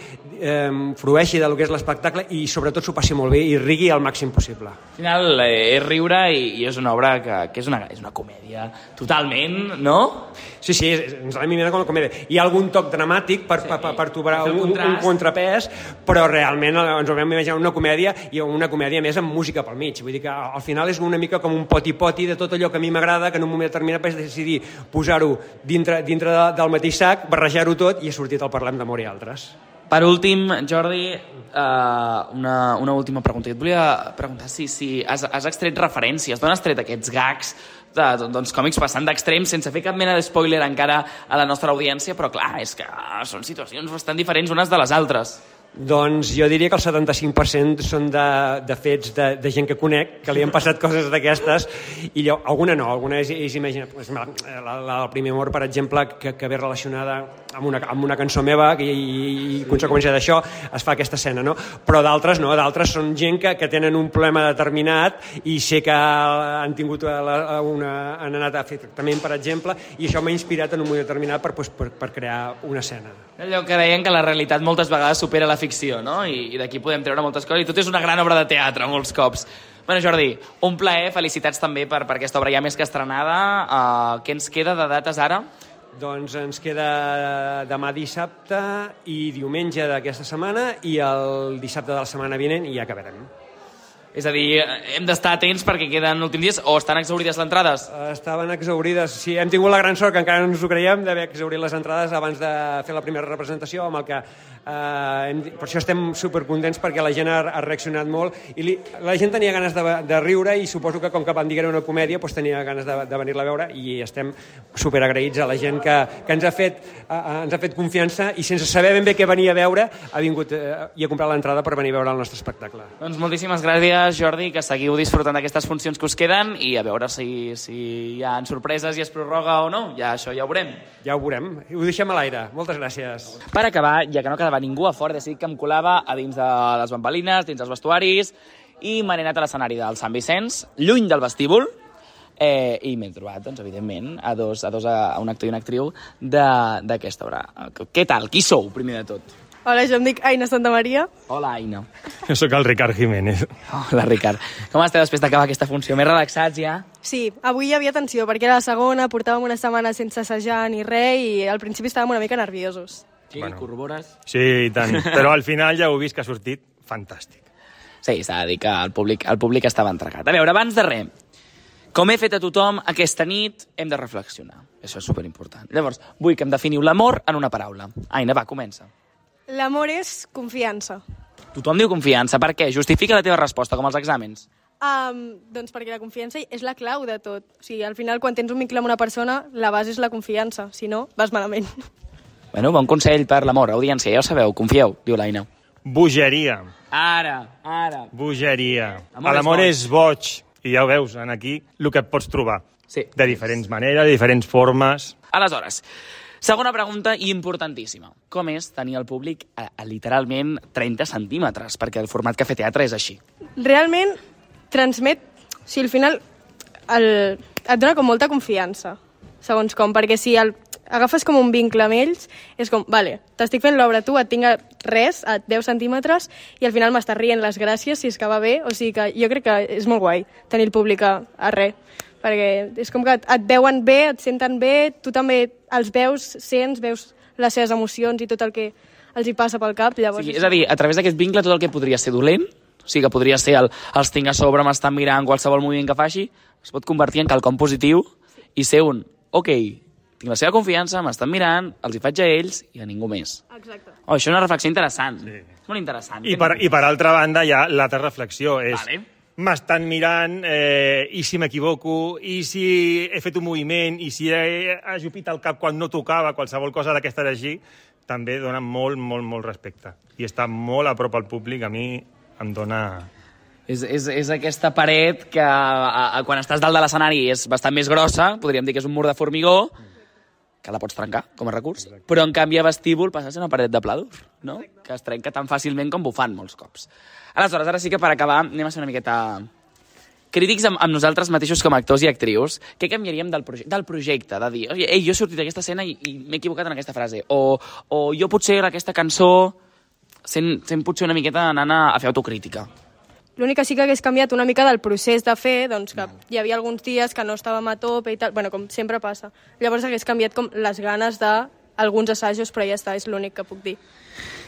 frueixi del que és l'espectacle i sobretot s'ho passi molt bé i rigui al màxim possible. Al final és riure i és una obra que és una comèdia totalment, no? Sí, ens l'hem imaginat com una comèdia. Hi ha algun toc dramàtic per trobar un contrapès, però realment ens ho vam imaginar una comèdia, i una comèdia més amb música pel mig. Vull dir que al final és una mica com un poti-poti de tot allò que a mi m'agrada, que en un moment determinat vaig decidir posar-ho dintre del mateix sac, barrejar-ho tot, i ha sortit el Parlem d'amor i altres. Per últim, Jordi, una última pregunta. Et volia preguntar si has extret referències, d'on has tret aquests gags doncs còmics passant d'extrems, sense fer cap mena de spoiler encara a la nostra audiència, però clar, és que són situacions bastant diferents unes de les altres. Doncs jo diria que el 75% són de fets de gent que conec, que li han passat coses d'aquestes, i alguna no, alguna és imagina't. El primer amor, per exemple, que ve relacionada amb una cançó meva, i conseqüència d'això es fa aquesta escena, no? Però d'altres no, d'altres són gent que tenen un problema determinat i sé que han anat a fer tractament, per exemple, i això m'ha inspirat en un moment determinat per crear una escena. Allò que deien que la realitat moltes vegades supera la ficció, no? I d'aquí podem treure moltes coses, i tot és una gran obra de teatre molts cops. Bueno, Jordi, un plaer, felicitats també per aquesta obra ja més que estrenada. Què ens queda de dates ara? Doncs ens queda demà dissabte i diumenge d'aquesta setmana, i el dissabte de la setmana vinent, i ja acabarem. És a dir, hem d'estar atents perquè queden últims dies, o estan exaurides les entrades? Estaven exaurides, sí. Hem tingut la gran sort, que encara no ens ho creiem, d'haver exaurit les entrades abans de fer la primera representació, amb el que per això estem supercontents, perquè la gent ha reaccionat molt, i la gent tenia ganes de riure, i suposo que com que van dir que era una comèdia, doncs tenia ganes de venir-la a veure, i estem superagraïts a la gent que ens ha fet confiança, i sense saber ben bé què venia a veure, ha vingut i ha comprat l'entrada per venir a veure el nostre espectacle. Doncs moltíssimes gràcies, Jordi, que seguiu disfrutant d'aquestes funcions que us queden, i a veure si hi ha sorpreses i es prorroga o no. Ja això ja ho veurem. Ja ho veurem. Ho deixem a l'aire. Moltes gràcies. Per acabar, ja que no quedava ningú a fora, he decidit que em colava a dins de les bambalines, dins dels vestuaris, i me n'he anat a l'escenari del Sant Vicenç, lluny del vestíbul, i m'he trobat, doncs, evidentment, a un actor i una actriu d'aquesta obra. Què tal? Qui sou, primer de tot? Hola, jo em dic Aina Santamaria. Hola, Aina. Jo sóc el Ricard Jiménez. Hola, Ricard. Com esteu després d'acabar aquesta funció? Més relaxats ja? Sí, avui hi havia tensió, perquè era la segona, portàvem una setmana sense assajar ni res, i al principi estàvem una mica nerviosos. Sí, corrobores? Sí, i tant. Però al final ja heu vist que ha sortit fantàstic. Sí, s'ha de dir que el públic estava entregat. A veure, abans de res, com he fet a tothom, aquesta nit hem de reflexionar. Això és superimportant. Llavors, vull que em definiu l'amor en una paraula. Aina, va, comença. L'amor és confiança. Tothom diu confiança. Per què? Justifica la teva resposta, com als exàmens. Doncs perquè la confiança és la clau de tot. O sigui, al final, quan tens un vincle amb una persona, la base és la confiança. Si no, vas malament. Bueno, bon consell per l'amor, audiència, ja ho sabeu, confieu, diu l'Aina. Bogeria. Ara. Bogeria. L'amor és boig. I ja ho veus, aquí, el que et pots trobar. Sí. De diferents maneres, de diferents formes. Aleshores, segona pregunta importantíssima. Com és tenir el públic a literalment 30 centímetres? Perquè el format Cafè Teatre és així. Realment transmet... O sigui, al final et dona com molta confiança, segons com, perquè si agafes com un vincle amb ells, és com, vale, t'estic fent l'obra tu, et tinc a 10 centímetres, i al final m'estàs rient les gràcies si és que va bé, o sigui que jo crec que és molt guai tenir el públic a res, perquè és com que et veuen bé, et senten bé, tu també els veus, veus les seves emocions i tot el que els hi passa pel cap. Llavors, sí, és a dir, a través d'aquest vincle tot el que podria ser dolent, o sigui que podria ser els tinc a sobre, m'estan mirant, qualsevol moviment que faci, es pot convertir en quelcom positiu i ser ok, tinc la seva confiança, m'estan mirant, els hi faig a ells i a ningú més. Exacte. Això és una reflexió interessant. Sí. És molt interessant. I per altra banda hi ha l'altra reflexió, és m'estan mirant, i si m'equivoco, i si he fet un moviment, i si he ajupit el cap quan no tocava, qualsevol cosa d'aquesta així, també dona molt, molt, molt respecte. I estar molt a prop al públic, a mi em dona... És aquesta paret que quan estàs dalt de l'escenari és bastant més grossa, podríem dir que és un mur de formigó, que la pots trencar com a recurs, però en canvi a vestíbul passa a ser una paret de pladur, no? Que es trenca tan fàcilment com bufant molts cops. Aleshores, ara sí que per acabar anem a ser una miqueta crítics amb nosaltres mateixos com a actors i actrius. Què canviaríem del projecte? De dir, ei, jo he sortit d'aquesta escena i m'he equivocat en aquesta frase. O jo potser aquesta cançó sent potser una miqueta anant a fer autocrítica. L'únic que sí que hagués canviat una mica del procés de fer, doncs que hi havia alguns dies que no estàvem a tope i tal, bueno, com sempre passa. Llavors hagués canviat com les ganes d'alguns assajos, però ja està, és l'únic que puc dir.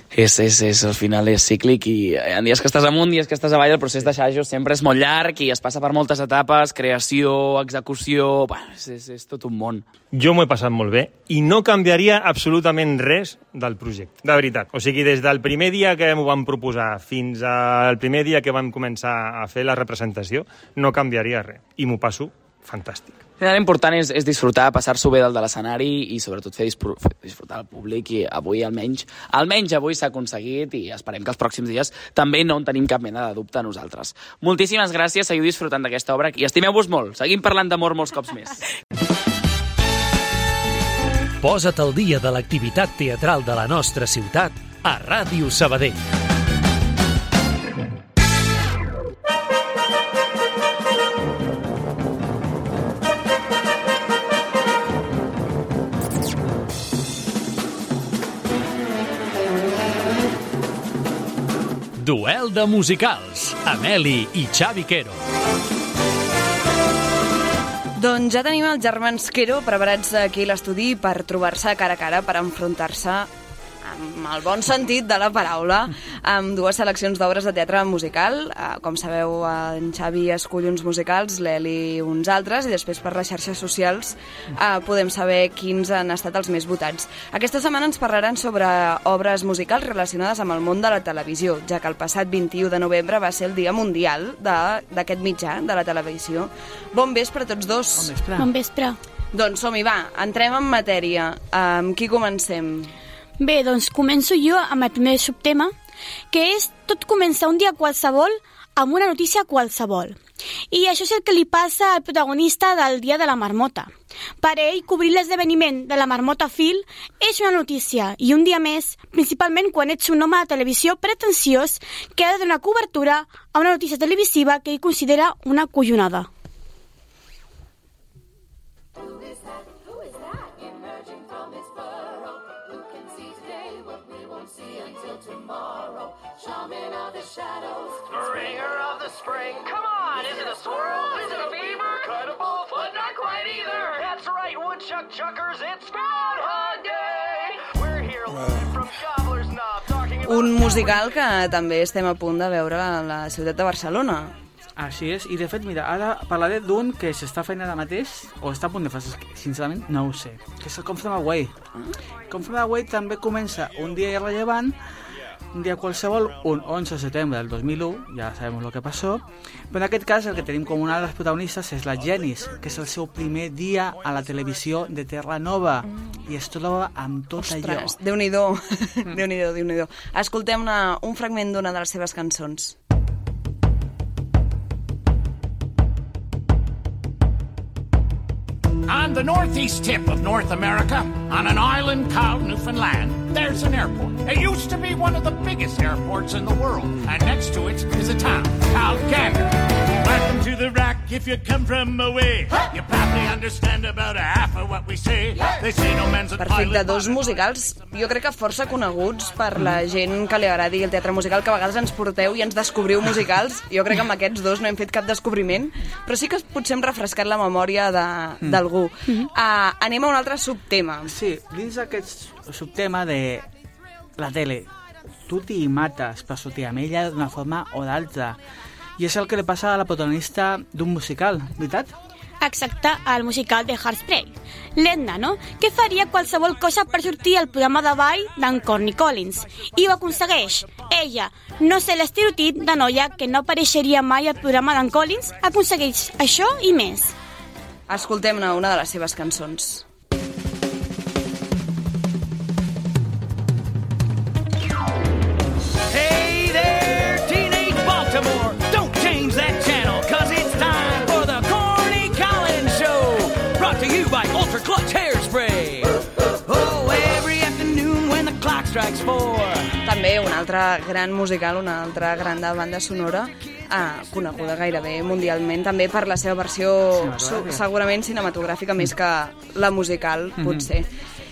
Al final és cíclic i en dies que estàs amunt, dies que estàs avall, el procés d'assajos sempre és molt llarg i es passa per moltes etapes, creació, execució... Bueno, és tot un món. Jo m'ho he passat molt bé i no canviaria absolutament res del projecte, de veritat. O sigui, des del primer dia que m'ho vam proposar fins al primer dia que vam començar a fer la representació, no canviaria res. I m'ho passo fantàstic. L'important és disfrutar, passar-s'ho bé dalt de l'escenari i sobretot fer disfrutar el públic i avui almenys avui s'ha aconseguit i esperem que els pròxims dies també no en tenim cap mena de dubte a nosaltres. Moltíssimes gràcies, seguiu disfrutant d'aquesta obra i estimeu-vos molt, seguim parlant d'amor molts cops més. Posa't al dia de l'activitat teatral de la nostra ciutat a Ràdio Sabadell. Duel de musicals, Ameli i Xavi Quero. Doncs ja tenim els germans Quero preparats aquí a l'estudi per trobar-se cara a cara, per enfrontar-se amb el bon sentit de la paraula, amb dues seleccions d'obres de teatre musical. Com sabeu, en Xavi escull uns musicals, l'Eli uns altres, i després per les xarxes socials podem saber quins han estat els més votats. Aquesta setmana ens parlaran sobre obres musicals relacionades amb el món de la televisió, ja que el passat 21 de novembre va ser el Dia Mundial d'aquest mitjà, de la televisió. Bon vespre a tots dos. Bon vespre. Bon vespre. Doncs som-hi, va, entrem en matèria. Amb qui comencem? Bé, doncs començo jo amb el primer subtema, que és tot començar un dia qualsevol amb una notícia qualsevol. I això és el que li passa al protagonista del Dia de la Marmota. Per ell, cobrir l'esdeveniment de la Marmota Phil és una notícia, i un dia més, principalment quan ets un home de televisió pretensiós que ha de donar cobertura a una notícia televisiva que ell considera una collonada. Shaman of the shadows, bringer of the spring. Come on, is it a squirrel? Is it a beaver? Kind of bullfoot, not quite either. That's right, woodchuck chuckers, it's Groundhog Day. We're here live from Gobbler's Knob talking about... Un musical que també estem a punt de veure a la ciutat de Barcelona. Així és, i de fet, mira, ara parlaré d'un que s'està fent ara mateix, o està a punt de fer, sincerament, no ho sé, que és el Come From Away. Come From Away també comença un dia irrellevant, un día qualsevol, un 11 de setembre del 2001, ya sabemos lo que pasó, però en aquest cas el que tenim com una de les protagonistes és la Jenis, que és el seu primer dia a la televisió de Terra Nova, i es troba amb tot allò. Ostres, Déu-n'hi-do, Déu-n'hi-do. Escoltem un fragment d'una de les seves cançons. On the northeast tip of North America, on an island called Newfoundland, there's an airport. It used to be one of the biggest airports in the world, and next to it is a town called Gander. Welcome to the Rock if you come from away. You probably understand about a half of what we say. They say no man's a Perfecte, dos musicals, jo crec que força coneguts per la gent que li agradi el teatre musical, que a vegades ens porteu i ens descobriu musicals. Jo crec que amb aquests dos no hem fet cap descobriment, però sí que potser hem refrescat la memòria d'algú. Anem a un altre subtema. Sí, dins d'aquest subtema de la tele, tu t'hi mates per sortir amb ella d'una forma o d'altra. I és el que li passa a la protagonista d'un musical, veritat? Exacte, al musical de Hairspray. L'Edna, no? Que faria qualsevol cosa per sortir al programa de ball d'en Corny Collins. I ho aconsegueix. Ella, no sé l'estereotip de noia que no apareixeria mai al programa d'en Collins, aconsegueix això i més. Escoltem-ne una de les seves cançons. Hey there, teenage Baltimore, don't change that channel, cause it's time for the Corny Collins Show, brought to you by Ultra Clutch Hairspray. Oh, every afternoon when the clock strikes 4. També un altre gran musical, una altra gran de banda sonora, coneguda gairebé mundialment, també per la seva versió segurament cinematogràfica més que la musical, potser.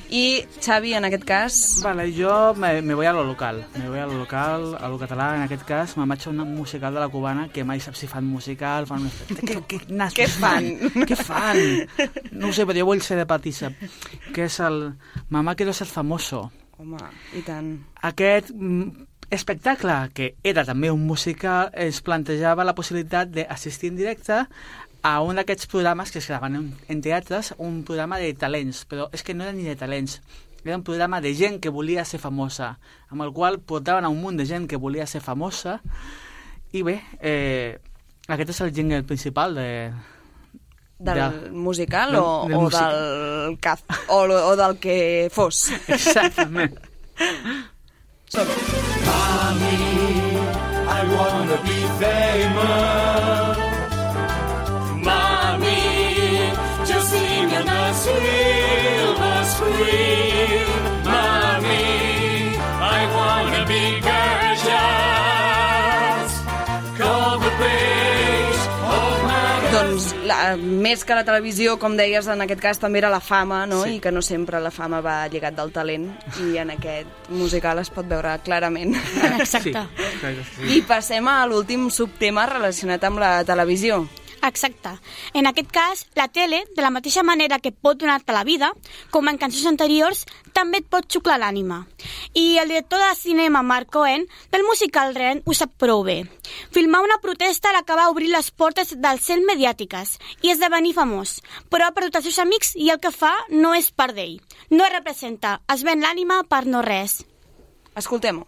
I, Xavi, en aquest cas... Vale, jo me voy a lo local. Me voy a lo local, a lo català, en aquest cas. Me'n vaig a un musical de la cubana, que mai sap si fan musical, fan... Què fan? Què fan? No ho sé, però jo vull ser de Patissa, que és el Mamá quiero ser famoso. Home, i tant. Aquest espectacle, que era també un musical, es plantejava la possibilitat d'assistir en directe a un d'aquests programes que es gravaven en teatres, un programa de talents, però és que no era ni de talents, era un programa de gent que volia ser famosa, amb el qual portaven a un munt de gent que volia ser famosa, i bé, aquest és el jingle principal del musical o del CAF, o del que fos. Exactament. Mommy, I wanna be famous. Mommy, just sing on the silver screen. Mommy, I wanna be gorgeous. Call the place of my... Doncs més que la televisió, com deies, en aquest cas també era la fama, no? Sí. I que no sempre la fama va lligat del talent, i en aquest musical es pot veure clarament. Exacte. Sí. I passem a l'últim subtema relacionat amb la televisió. Exacte. En aquest cas, la tele, de la mateixa manera que pot donar-te la vida, com en cançons anteriors, també et pot xuclar l'ànima. I el director de cinema, Mark Cohen, del musical Rent, ho sap prou bé. Filmar una protesta l'acaba obrir les portes del cel mediàtiques i esdevenir famós, però ha perdut els seus amics i el que fa no és part d'ell. No es representa, es ven l'ànima per no res. Escoltem-ho.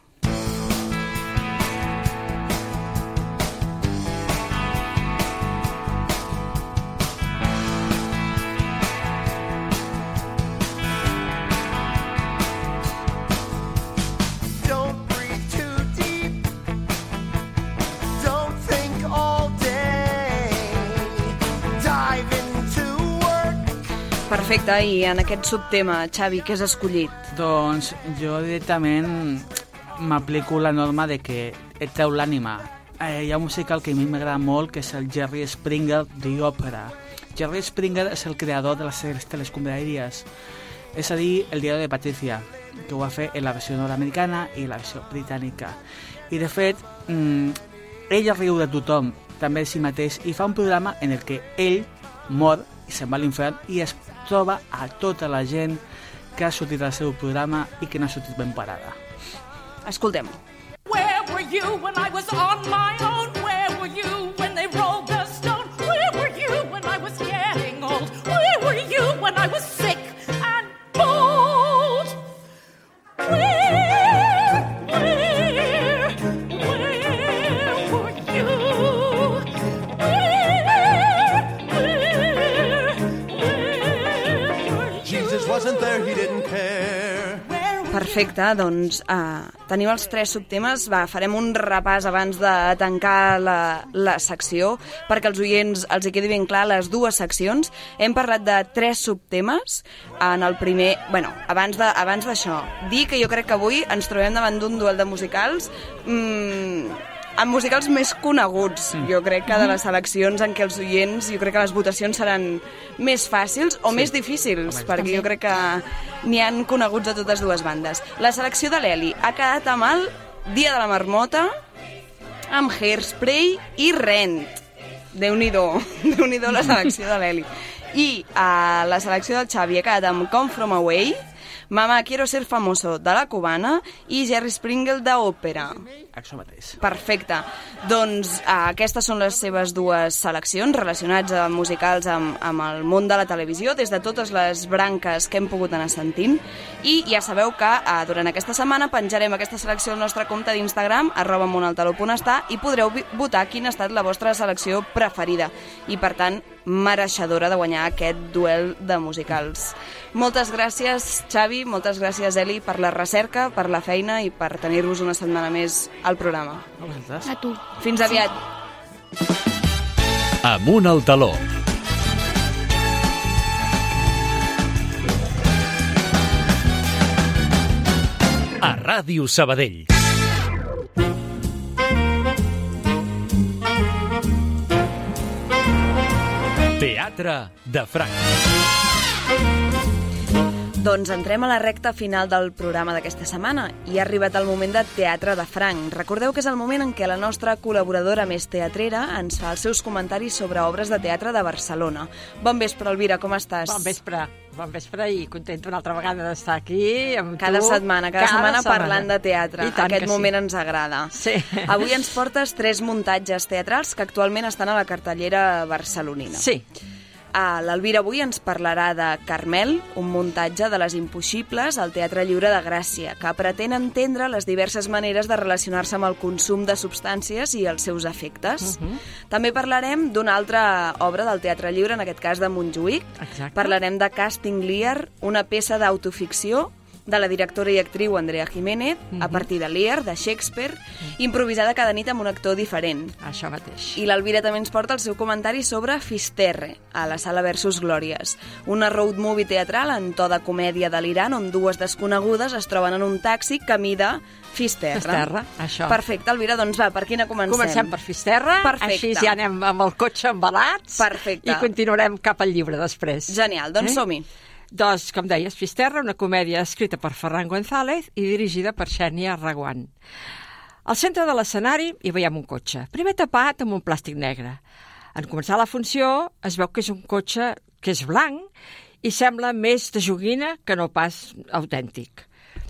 Perfecte, i en aquest subtema, Xavi, què has escollit? Doncs jo directament m'aplico la norma de que et treu l'ànima. Hi ha un musical que a mi m'agrada molt, que és el Jerry Springer The Opera. Jerry Springer és el creador de les sèries telescombraries, és a dir, el diari de Patricia, que ho va fer en la versió nord-americana i la versió britànica. I de fet, ell riu de tothom, també de si mateix, i fa un programa en el que ell mor i se'n va a l'infern i es troba a tota la gent que ha sortit al seu programa i que no ha sortit ben parada. Escoltem-ho. Where were you when I was on my own? Where were you when they rolled the stone? Where were you when I was getting old? Where were you when I was sick and bold? Where didn't care. Perfecte, doncs tenim els 3 subtemes. Farem un repàs abans de tancar la secció, perquè als oients els hi quedi ben clar les 2 seccions. Hem parlat de 3 subtemes. En el primer... Bueno, abans d'això, dir que jo crec que avui ens trobem davant d'un duel de musicals amb musicals més coneguts, jo crec que de les seleccions en què els oients, jo crec que les votacions seran més fàcils o més difícils, perquè jo crec que n'hi han coneguts de totes 2 bandes. La selecció de l'Eli ha quedat amb el Dia de la Marmota, amb Hairspray i Rent. Déu-n'hi-do, Déu-n'hi-do la selecció de l'Eli. I la selecció del Xavi ha quedat amb Come From Away, Mamá, quiero ser famoso, de la Cubana, i Jerry Springer, d'Òpera. Això mateix. Perfecte. Doncs aquestes són les seves 2 seleccions relacionats amb musicals amb el món de la televisió, des de totes les branques que hem pogut anar sentint. I ja sabeu que durant aquesta setmana penjarem aquesta selecció al nostre compte d'Instagram, @monaltaló.està, i podreu votar quina ha estat la vostra selecció preferida. I, per tant, mereixedora de guanyar aquest duel de musicals. Moltes gràcies, Xavi, moltes gràcies, Eli, per la recerca, per la feina i per tenir-vos una setmana més al programa. A tu. Fins aviat. Amunt al taló. A Ràdio Sabadell. Teatre de Franc. Doncs entrem a la recta final del programa d'aquesta setmana i ha arribat el moment de Teatre de Franc. Recordeu que és el moment en què la nostra col·laboradora més teatrera ens fa els seus comentaris sobre obres de teatre de Barcelona. Bon vespre, Elvira, com estàs? Bon vespre i contenta una altra vegada d'estar aquí amb cada tu. Setmana parlant de teatre. Aquest moment ens agrada. Sí. Avui ens portes 3 muntatges teatrals que actualment estan a la cartellera barcelonina. Sí. L'Elvira avui ens parlarà de Carmel, un muntatge de Les Impossibles al Teatre Lliure de Gràcia, que pretén entendre les diverses maneres de relacionar-se amb el consum de substàncies i els seus efectes. També parlarem d'una altra obra del Teatre Lliure, en aquest cas de Montjuïc. Exacte. Parlarem de Casting Lear, una peça d'autoficció de la directora i actriu Andrea Jiménez, a partir de Lear, de Shakespeare, improvisada cada nit amb un actor diferent. Això mateix. I l'Elvira també ens porta el seu comentari sobre Fisterre, a la Sala Versus Glòries, una road movie teatral en to de comèdia delirant on 2 desconegudes es troben en un taxi camí de Fisterre. Fisterre, això. Perfecte, Elvira, doncs va, per quina comencem? Comencem per Fisterre, Perfecte. així ja anem amb el cotxe embalats. Perfecte. I continuarem cap al llibre després. Genial, doncs som-hi. Doncs, com deies, Fisterre, una comèdia escrita per Ferran González i dirigida per Xènia Reguant. Al centre de l'escenari hi veiem un cotxe, primer tapat amb un plàstic negre. En començar la funció es veu que és un cotxe que és blanc i sembla més de joguina que no pas autèntic.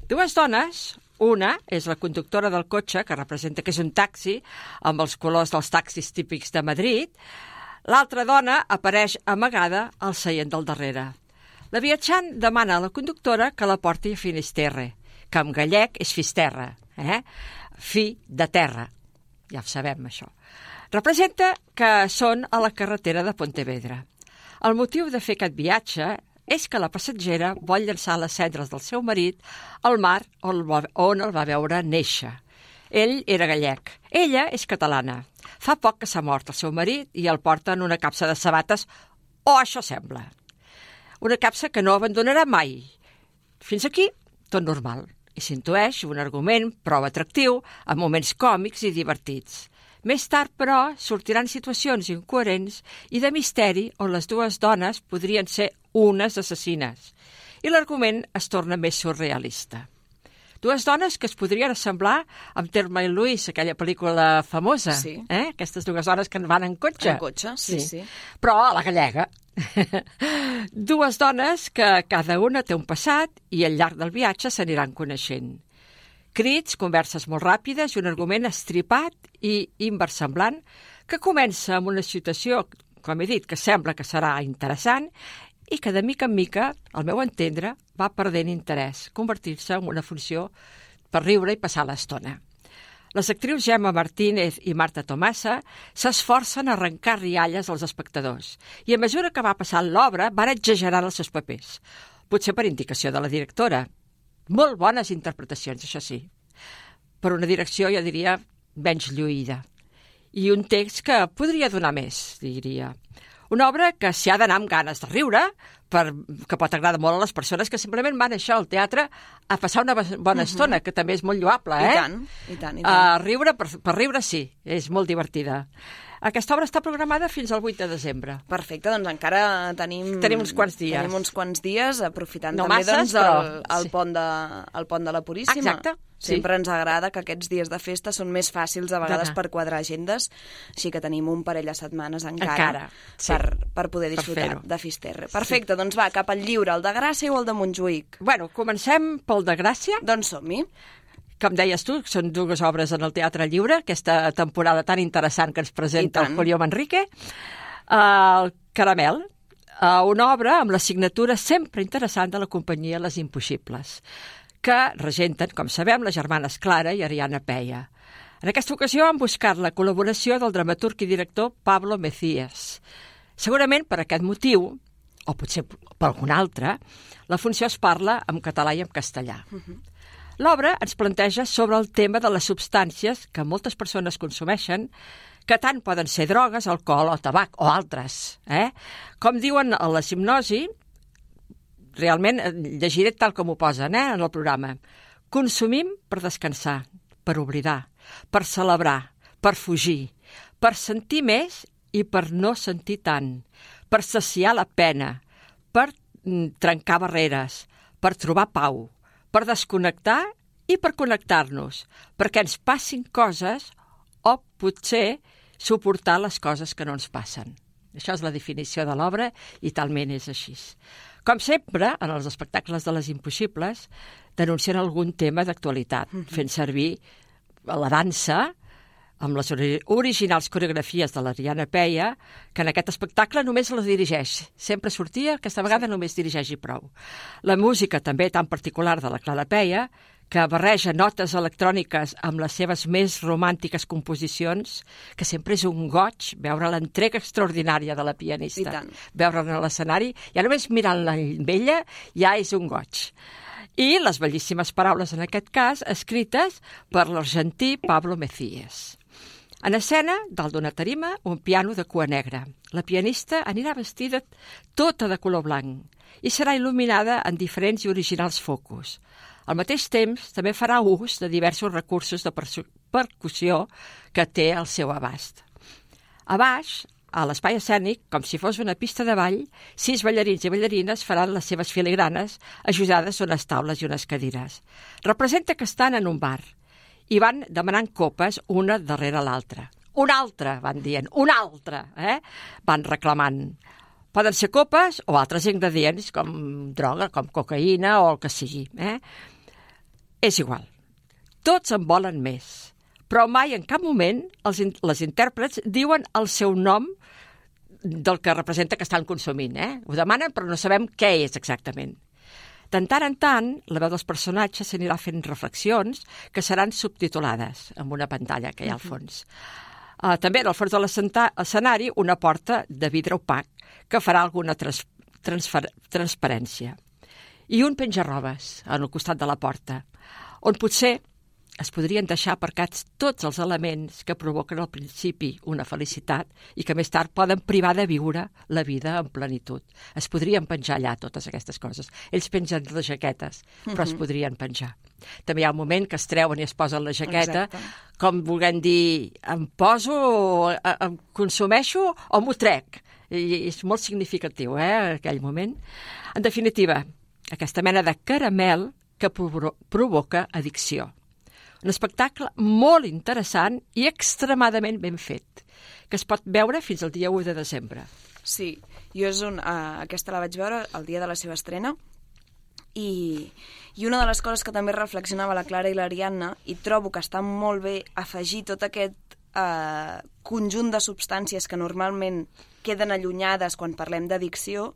2 dones, una és la conductora del cotxe, que representa que és un taxi amb els colors dels taxis típics de Madrid. L'altra dona apareix amagada al seient del darrere. La viatjant demana a la conductora que la porti a Finisterre, que en gallec és Fisterra, fi de terra. Ja ho sabem, això. Representa que són a la carretera de Pontevedra. El motiu de fer aquest viatge és que la passatgera vol llançar les cendres del seu marit al mar on el va veure néixer. Ell era gallec. Ella és catalana. Fa poc que s'ha mort el seu marit i el porta en una capsa de sabates, o això sembla. Una capsa que no abandonarà mai. Fins aquí, tot normal. I s'intueix un argument prou atractiu, amb moments còmics i divertits. Més tard, però, sortiran situacions incoherents i de misteri on les 2 dones podrien ser unes assassines. I l'argument es torna més surrealista. 2 dones que es podrien assemblar amb Thelma i Louise, aquella pel·lícula famosa. Sí. Aquestes 2 dones que van en cotxe. En cotxe, sí. Però a la gallega. 2 dones que cada una té un passat i al llarg del viatge s'aniran coneixent. Crits, converses molt ràpides i un argument estripat i inversemblant que comença amb una situació, com he dit, que sembla que serà interessant i que de mica en mica, al meu entendre, va perdent interès, convertir-se en una funció per riure i passar l'estona. Les actrius Gemma Martínez i Marta Tomasa s'esforcen a arrencar rialles als espectadors i a mesura que va passant l'obra van exagerant els seus papers. potser per indicació de la directora. Molt bones interpretacions, això sí. Per una direcció, jo diria, menys lluïda. I un text que podria donar més, diria. Una obra que s'hi ha d'anar amb ganes de riure, que pot agradar molt a les persones que simplement van això al teatre a passar una bona estona, que també és molt lloable, I tant, i tant, i tant. Riure, per riure sí, és molt divertida. Aquesta obra està programada fins al 8 de desembre. Perfecte, doncs encara tenim uns quants dies. Tenim uns quants dies, aprofitant no també masses, el pont de la Puríssima. Exacte. Sempre ens agrada que aquests dies de festa són més fàcils a vegades per quadrar agendes, així que tenim un parell de setmanes encara per poder disfrutar de Fisterra. Perfecte, doncs va, cap al lliure, el de Gràcia o el de Montjuïc? Bueno, comencem pel de Gràcia. Doncs som-hi. Com deies tu, són dues obres en el Teatre Lliure, aquesta temporada tan interessant que ens presenta el Julio Manrique. El Caramel, una obra amb la signatura sempre interessant de la companyia Les Impossibles, que regenten, com sabem, les germanes Clara i Ariana Peia. En aquesta ocasió han buscat la col·laboració del dramaturg i director Pablo Mecías. Segurament per aquest motiu, o potser per algun altre, la funció es parla en català i en castellà. L'obra ens planteja sobre el tema de les substàncies que moltes persones consumeixen, que tant poden ser drogues, alcohol o tabac, o altres. Com diuen a la hipnosi, realment llegiré tal com ho posen en el programa. Consumim per descansar, per oblidar, per celebrar, per fugir, per sentir més i per no sentir tant, per saciar la pena, per trencar barreres, per trobar pau, per desconnectar i per connectar-nos, perquè ens passin coses o potser suportar les coses que no ens passen. Això és la definició de l'obra i talment és així. Com sempre, en els espectacles de Les Impossibles, denuncien algun tema d'actualitat, fent servir la dansa amb les originals coreografies de l'Ariana Peia, que en aquest espectacle només la dirigeix. Sempre sortia, aquesta vegada només dirigeix i prou. La música també tan particular de la Clara Peia, que barreja notes electròniques amb les seves més romàntiques composicions, que sempre és un goig veure l'entrega extraordinària de la pianista. Veure'la a l'escenari, ja només mirant-la amb ella, ja és un goig. I les bellíssimes paraules, en aquest cas, escrites per l'argentí Pablo Mecías. En escena, dalt d'una tarima, un piano de cua negra. La pianista anirà vestida tota de color blanc i serà il·luminada en diferents i originals focus. Al mateix temps, també farà ús de diversos recursos de percussió que té al seu abast. A baix, a l'espai escènic, com si fos una pista de ball, 6 ballarins i ballarines faran les seves filigranes ajudades d'unes taules i unes cadires. Representa que estan en un bar i van demanant copes una darrere l'altra. Una altra, van dient, una altra, van reclamant. Poden ser copes o altres ingredients com droga, com cocaïna o el que sigui. És igual. Tots en volen més. Però mai en cap moment les intèrprets diuen el seu nom del que representa que estan consumint. Ho demanen però no sabem què és exactament. De tant en tant, la veu dels personatges s'anirà fent reflexions que seran subtitulades amb una pantalla que hi ha al fons. També al fons de l'escenari una porta de vidre opac que farà alguna transparència. I un penjarrobes al costat de la porta, on potser es podrien deixar aparcats tots els elements que provoquen al principi una felicitat i que més tard poden privar de viure la vida en plenitud. Es podrien penjar allà totes aquestes coses. Ells pengen les jaquetes, però es podrien penjar. També hi ha un moment que es treuen i es posen la jaqueta, com volent dir, em poso, em consumeixo o m'ho trec. I és molt significatiu, aquell moment. En definitiva, aquesta mena de caramel que provoca addicció. Un espectacle molt interessant i extremadament ben fet, que es pot veure fins al dia 1 de desembre. Sí, jo aquesta la vaig veure el dia de la seva estrena i una de les coses que també reflexionava la Clara i l'Ariadna, i trobo que està molt bé afegir tot aquest conjunt de substàncies que normalment queden allunyades quan parlem d'addicció,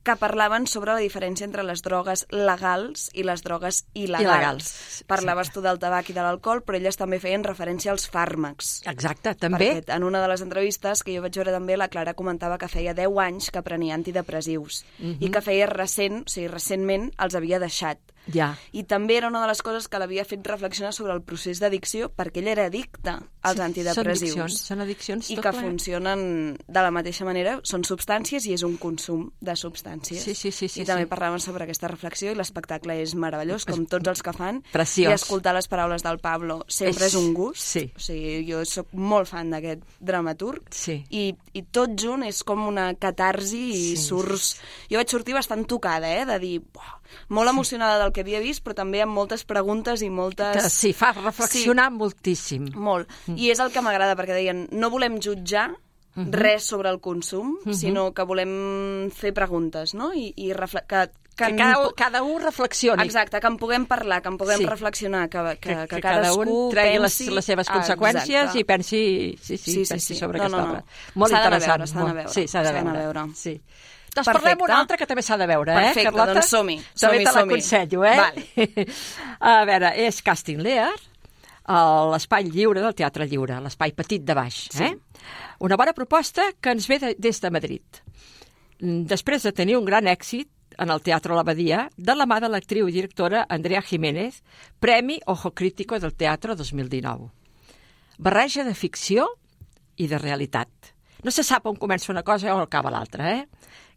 que parlaven sobre la diferència entre les drogues legals i les drogues il·legals. Parlaves tu del tabac i de l'alcohol, però elles també feien referència als fàrmacs. Exacte, també. Perquè en una de les entrevistes que jo vaig veure també, la Clara comentava que feia 10 anys que prenia antidepressius i que feia recentment els havia deixat. Ja. I també era una de les coses que l'havia fet reflexionar sobre el procés d'addicció, perquè ell era addicte als antidepressius. Són addiccions. I que funcionen de la mateixa manera, són substàncies i és un consum de substàncies. Sí, I també parlaven sobre aquesta reflexió i l'espectacle és meravellós, com tots els que fan. Preciós. I escoltar les paraules del Pablo sempre és un gust. Sí. O sigui, jo soc molt fan d'aquest dramaturg i tot junt és com una catarsi i surts... Jo vaig sortir bastant tocada, de dir... Molt emocionada del que havia vist, però també amb moltes preguntes i moltes... Sí, fa reflexionar moltíssim. Molt. I és el que m'agrada, perquè deien, no volem jutjar res sobre el consum, sinó que volem fer preguntes, no? I que cada un reflexioni. Exacte, que en puguem parlar, que en puguem reflexionar, que cada un tregui les seves conseqüències i pensi sobre aquesta obra. Molt interessant. S'ha d'anar a veure. Sí, s'ha d'anar a veure. Sí. Doncs Perfecte. parlem una altra que també s'ha de veure, Perfecte, Carlota? doncs som-hi. També te l'aconsello, Vale. A veure, és Casting Lear, l'espai lliure del Teatre Lliure, l'espai petit de baix. Una bona proposta que ens ve des de Madrid. Després de tenir un gran èxit en el Teatre l'Abadia, de la mà de l'actriu i directora Andrea Jiménez, Premi Ojo Crítico del Teatre 2019. Barreja de ficció i de realitat. No se sap on comença una cosa o acaba l'altra,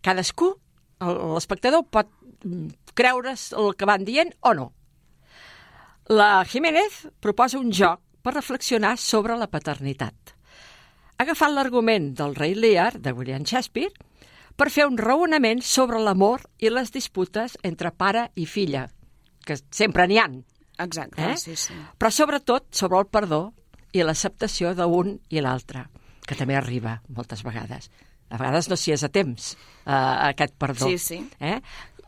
Cadascú, l'espectador, pot creure's el que van dient o no. La Jiménez proposa un joc per reflexionar sobre la paternitat. Ha agafat l'argument del rei Lear, de William Shakespeare, per fer un raonament sobre l'amor i les disputes entre pare i filla, que sempre n'hi ha. Exacte, sí. Però sobretot sobre el perdó i l'acceptació d'un i l'altre, que també arriba moltes vegades. A vegades no s'hi és a temps, aquest perdó. Sí.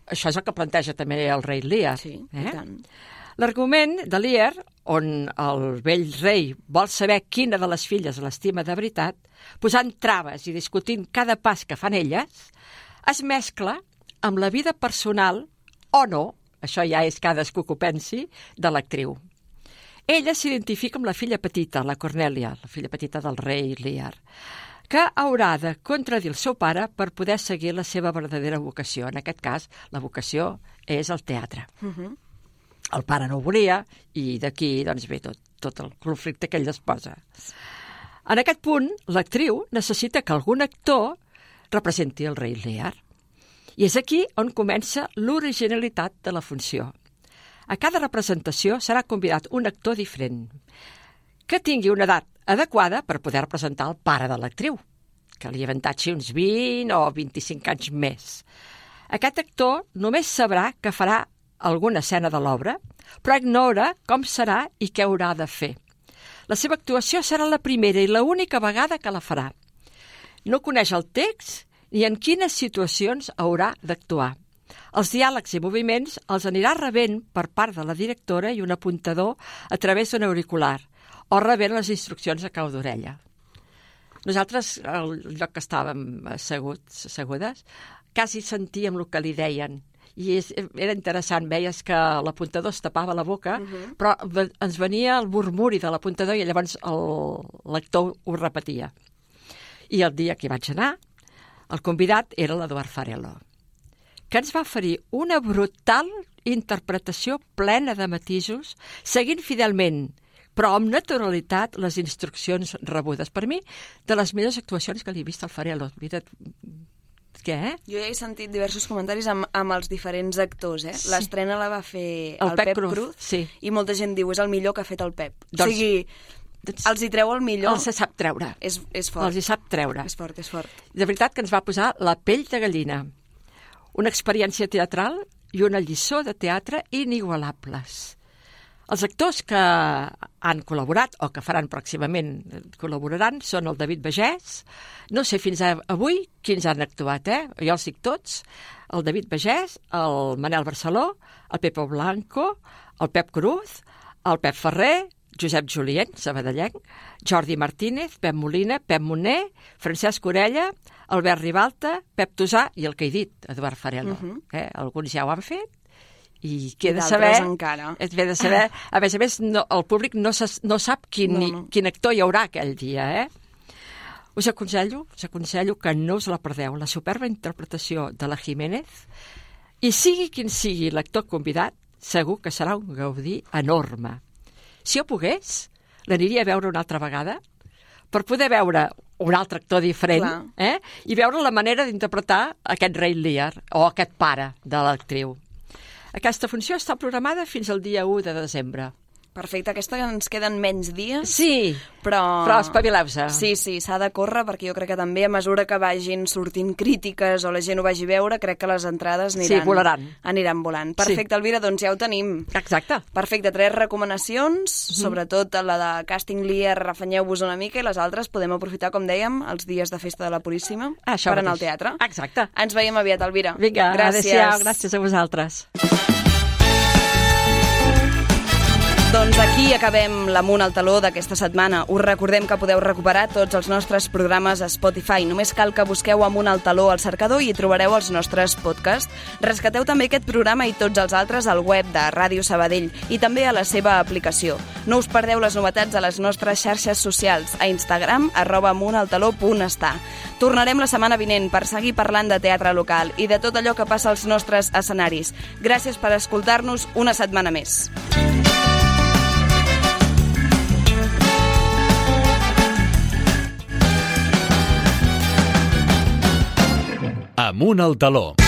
Això és el que planteja també el rei Lear. Sí, i tant. L'argument de Lear, on el vell rei vol saber quina de les filles l'estima de veritat, posant traves i discutint cada pas que fan elles, es mescla amb la vida personal o no, això ja és cadascú que ho pensi, de l'actriu. Ella s'identifica amb la filla petita, la Cornèlia, la filla petita del rei Lear, que haurà de contradir el seu pare per poder seguir la seva verdadera vocació. En aquest cas, la vocació és el teatre. El pare no ho volia i d'aquí doncs, ve tot el conflicte que ell es posa. En aquest punt, l'actriu necessita que algun actor representi el rei Lear. I és aquí on comença l'originalitat de la funció. A cada representació serà convidat un actor diferent, que tingui una edat adequada per poder representar el pare de l'actriu, que li avantatgi uns 20 o 25 anys més. Aquest actor només sabrà que farà alguna escena de l'obra, però ignora com serà i què haurà de fer. La seva actuació serà la primera i l'única vegada que la farà. No coneix el text ni en quines situacions haurà d'actuar. Els diàlegs i moviments els anirà rebent per part de la directora i un apuntador a través d'un auricular, o rebent les instruccions a cau d'orella. Nosaltres, al lloc que estàvem assegudes, quasi sentíem el que li deien. I era interessant, veies que l'apuntador es tapava la boca, però ens venia el murmuri de l'apuntador i llavors el lector ho repetia. I el dia que hi vaig anar, el convidat era l'Eduard Farello, que ens va oferir una brutal interpretació plena de matisos, seguint fidelment, però amb naturalitat, les instruccions rebudes. Per mi, de les millors actuacions que li he vist al Farello. Què? Jo ja he sentit diversos comentaris amb els diferents actors. Sí. L'estrena la va fer el Pep Cruz sí. I molta gent diu és el millor que ha fet el Pep. Doncs, o sigui, els hi treu el millor. Els sap treure. És fort. Els hi sap treure. És fort. De veritat que ens va posar la pell de gallina. Una experiència teatral i una lliçó de teatre inigualables. Els actors que han col·laborat o que faran pròximament col·laboraran són el David Bagès, no sé fins avui quins han actuat, jo els dic tots, el David Bagès, el Manel Barceló, el Pepo Blanco, el Pep Cruz, el Pep Ferrer, Josep Julien, sabadellenc, Jordi Martínez, Pep Molina, Pep Moner, Francesc Orella, Albert Ribalta, Pep Tosà i el que he dit, Eduard Farelo. Alguns ja ho han fet i queda de saber... encara. Ve de saber... A més, el públic no sap quin actor hi haurà aquell dia, Us aconsello que no us la perdeu, la superba interpretació de la Jiménez, i sigui quin sigui l'actor convidat, segur que serà un gaudí enorme. Si jo pogués, l'aniria a veure una altra vegada per poder veure un altre actor diferent i veure la manera d'interpretar aquest rei Lear o aquest pare de l'actriu. Aquesta funció està programada fins al dia 1 de desembre. Perfecte, aquesta ens queden menys dies. Sí, però espavileu-se. Sí, s'ha de córrer, perquè jo crec que també a mesura que vagin sortint crítiques o la gent ho vagi a veure, crec que les entrades aniran volant. Perfecte, Elvira, doncs ja ho tenim. Exacte. Perfecte, 3 recomanacions, sobretot la de Casting Lear, refanyeu-vos una mica, i les altres podem aprofitar, com dèiem, els dies de festa de la Puríssima per anar al teatre. Exacte. Ens veiem aviat, Elvira. Vinga, adéu-siau, gràcies a vosaltres. Doncs aquí acabem l'Amunt al Taló d'aquesta setmana. Us recordem que podeu recuperar tots els nostres programes a Spotify. Només cal que busqueu Amunt al Taló al cercador i hi trobareu els nostres podcasts. Rescateu també aquest programa i tots els altres al web de Ràdio Sabadell i també a la seva aplicació. No us perdeu les novetats a les nostres xarxes socials, a Instagram, @amuntaltaló.està. Tornarem la setmana vinent per seguir parlant de teatre local i de tot allò que passa als nostres escenaris. Gràcies per escoltar-nos una setmana més. Amunt al Taló.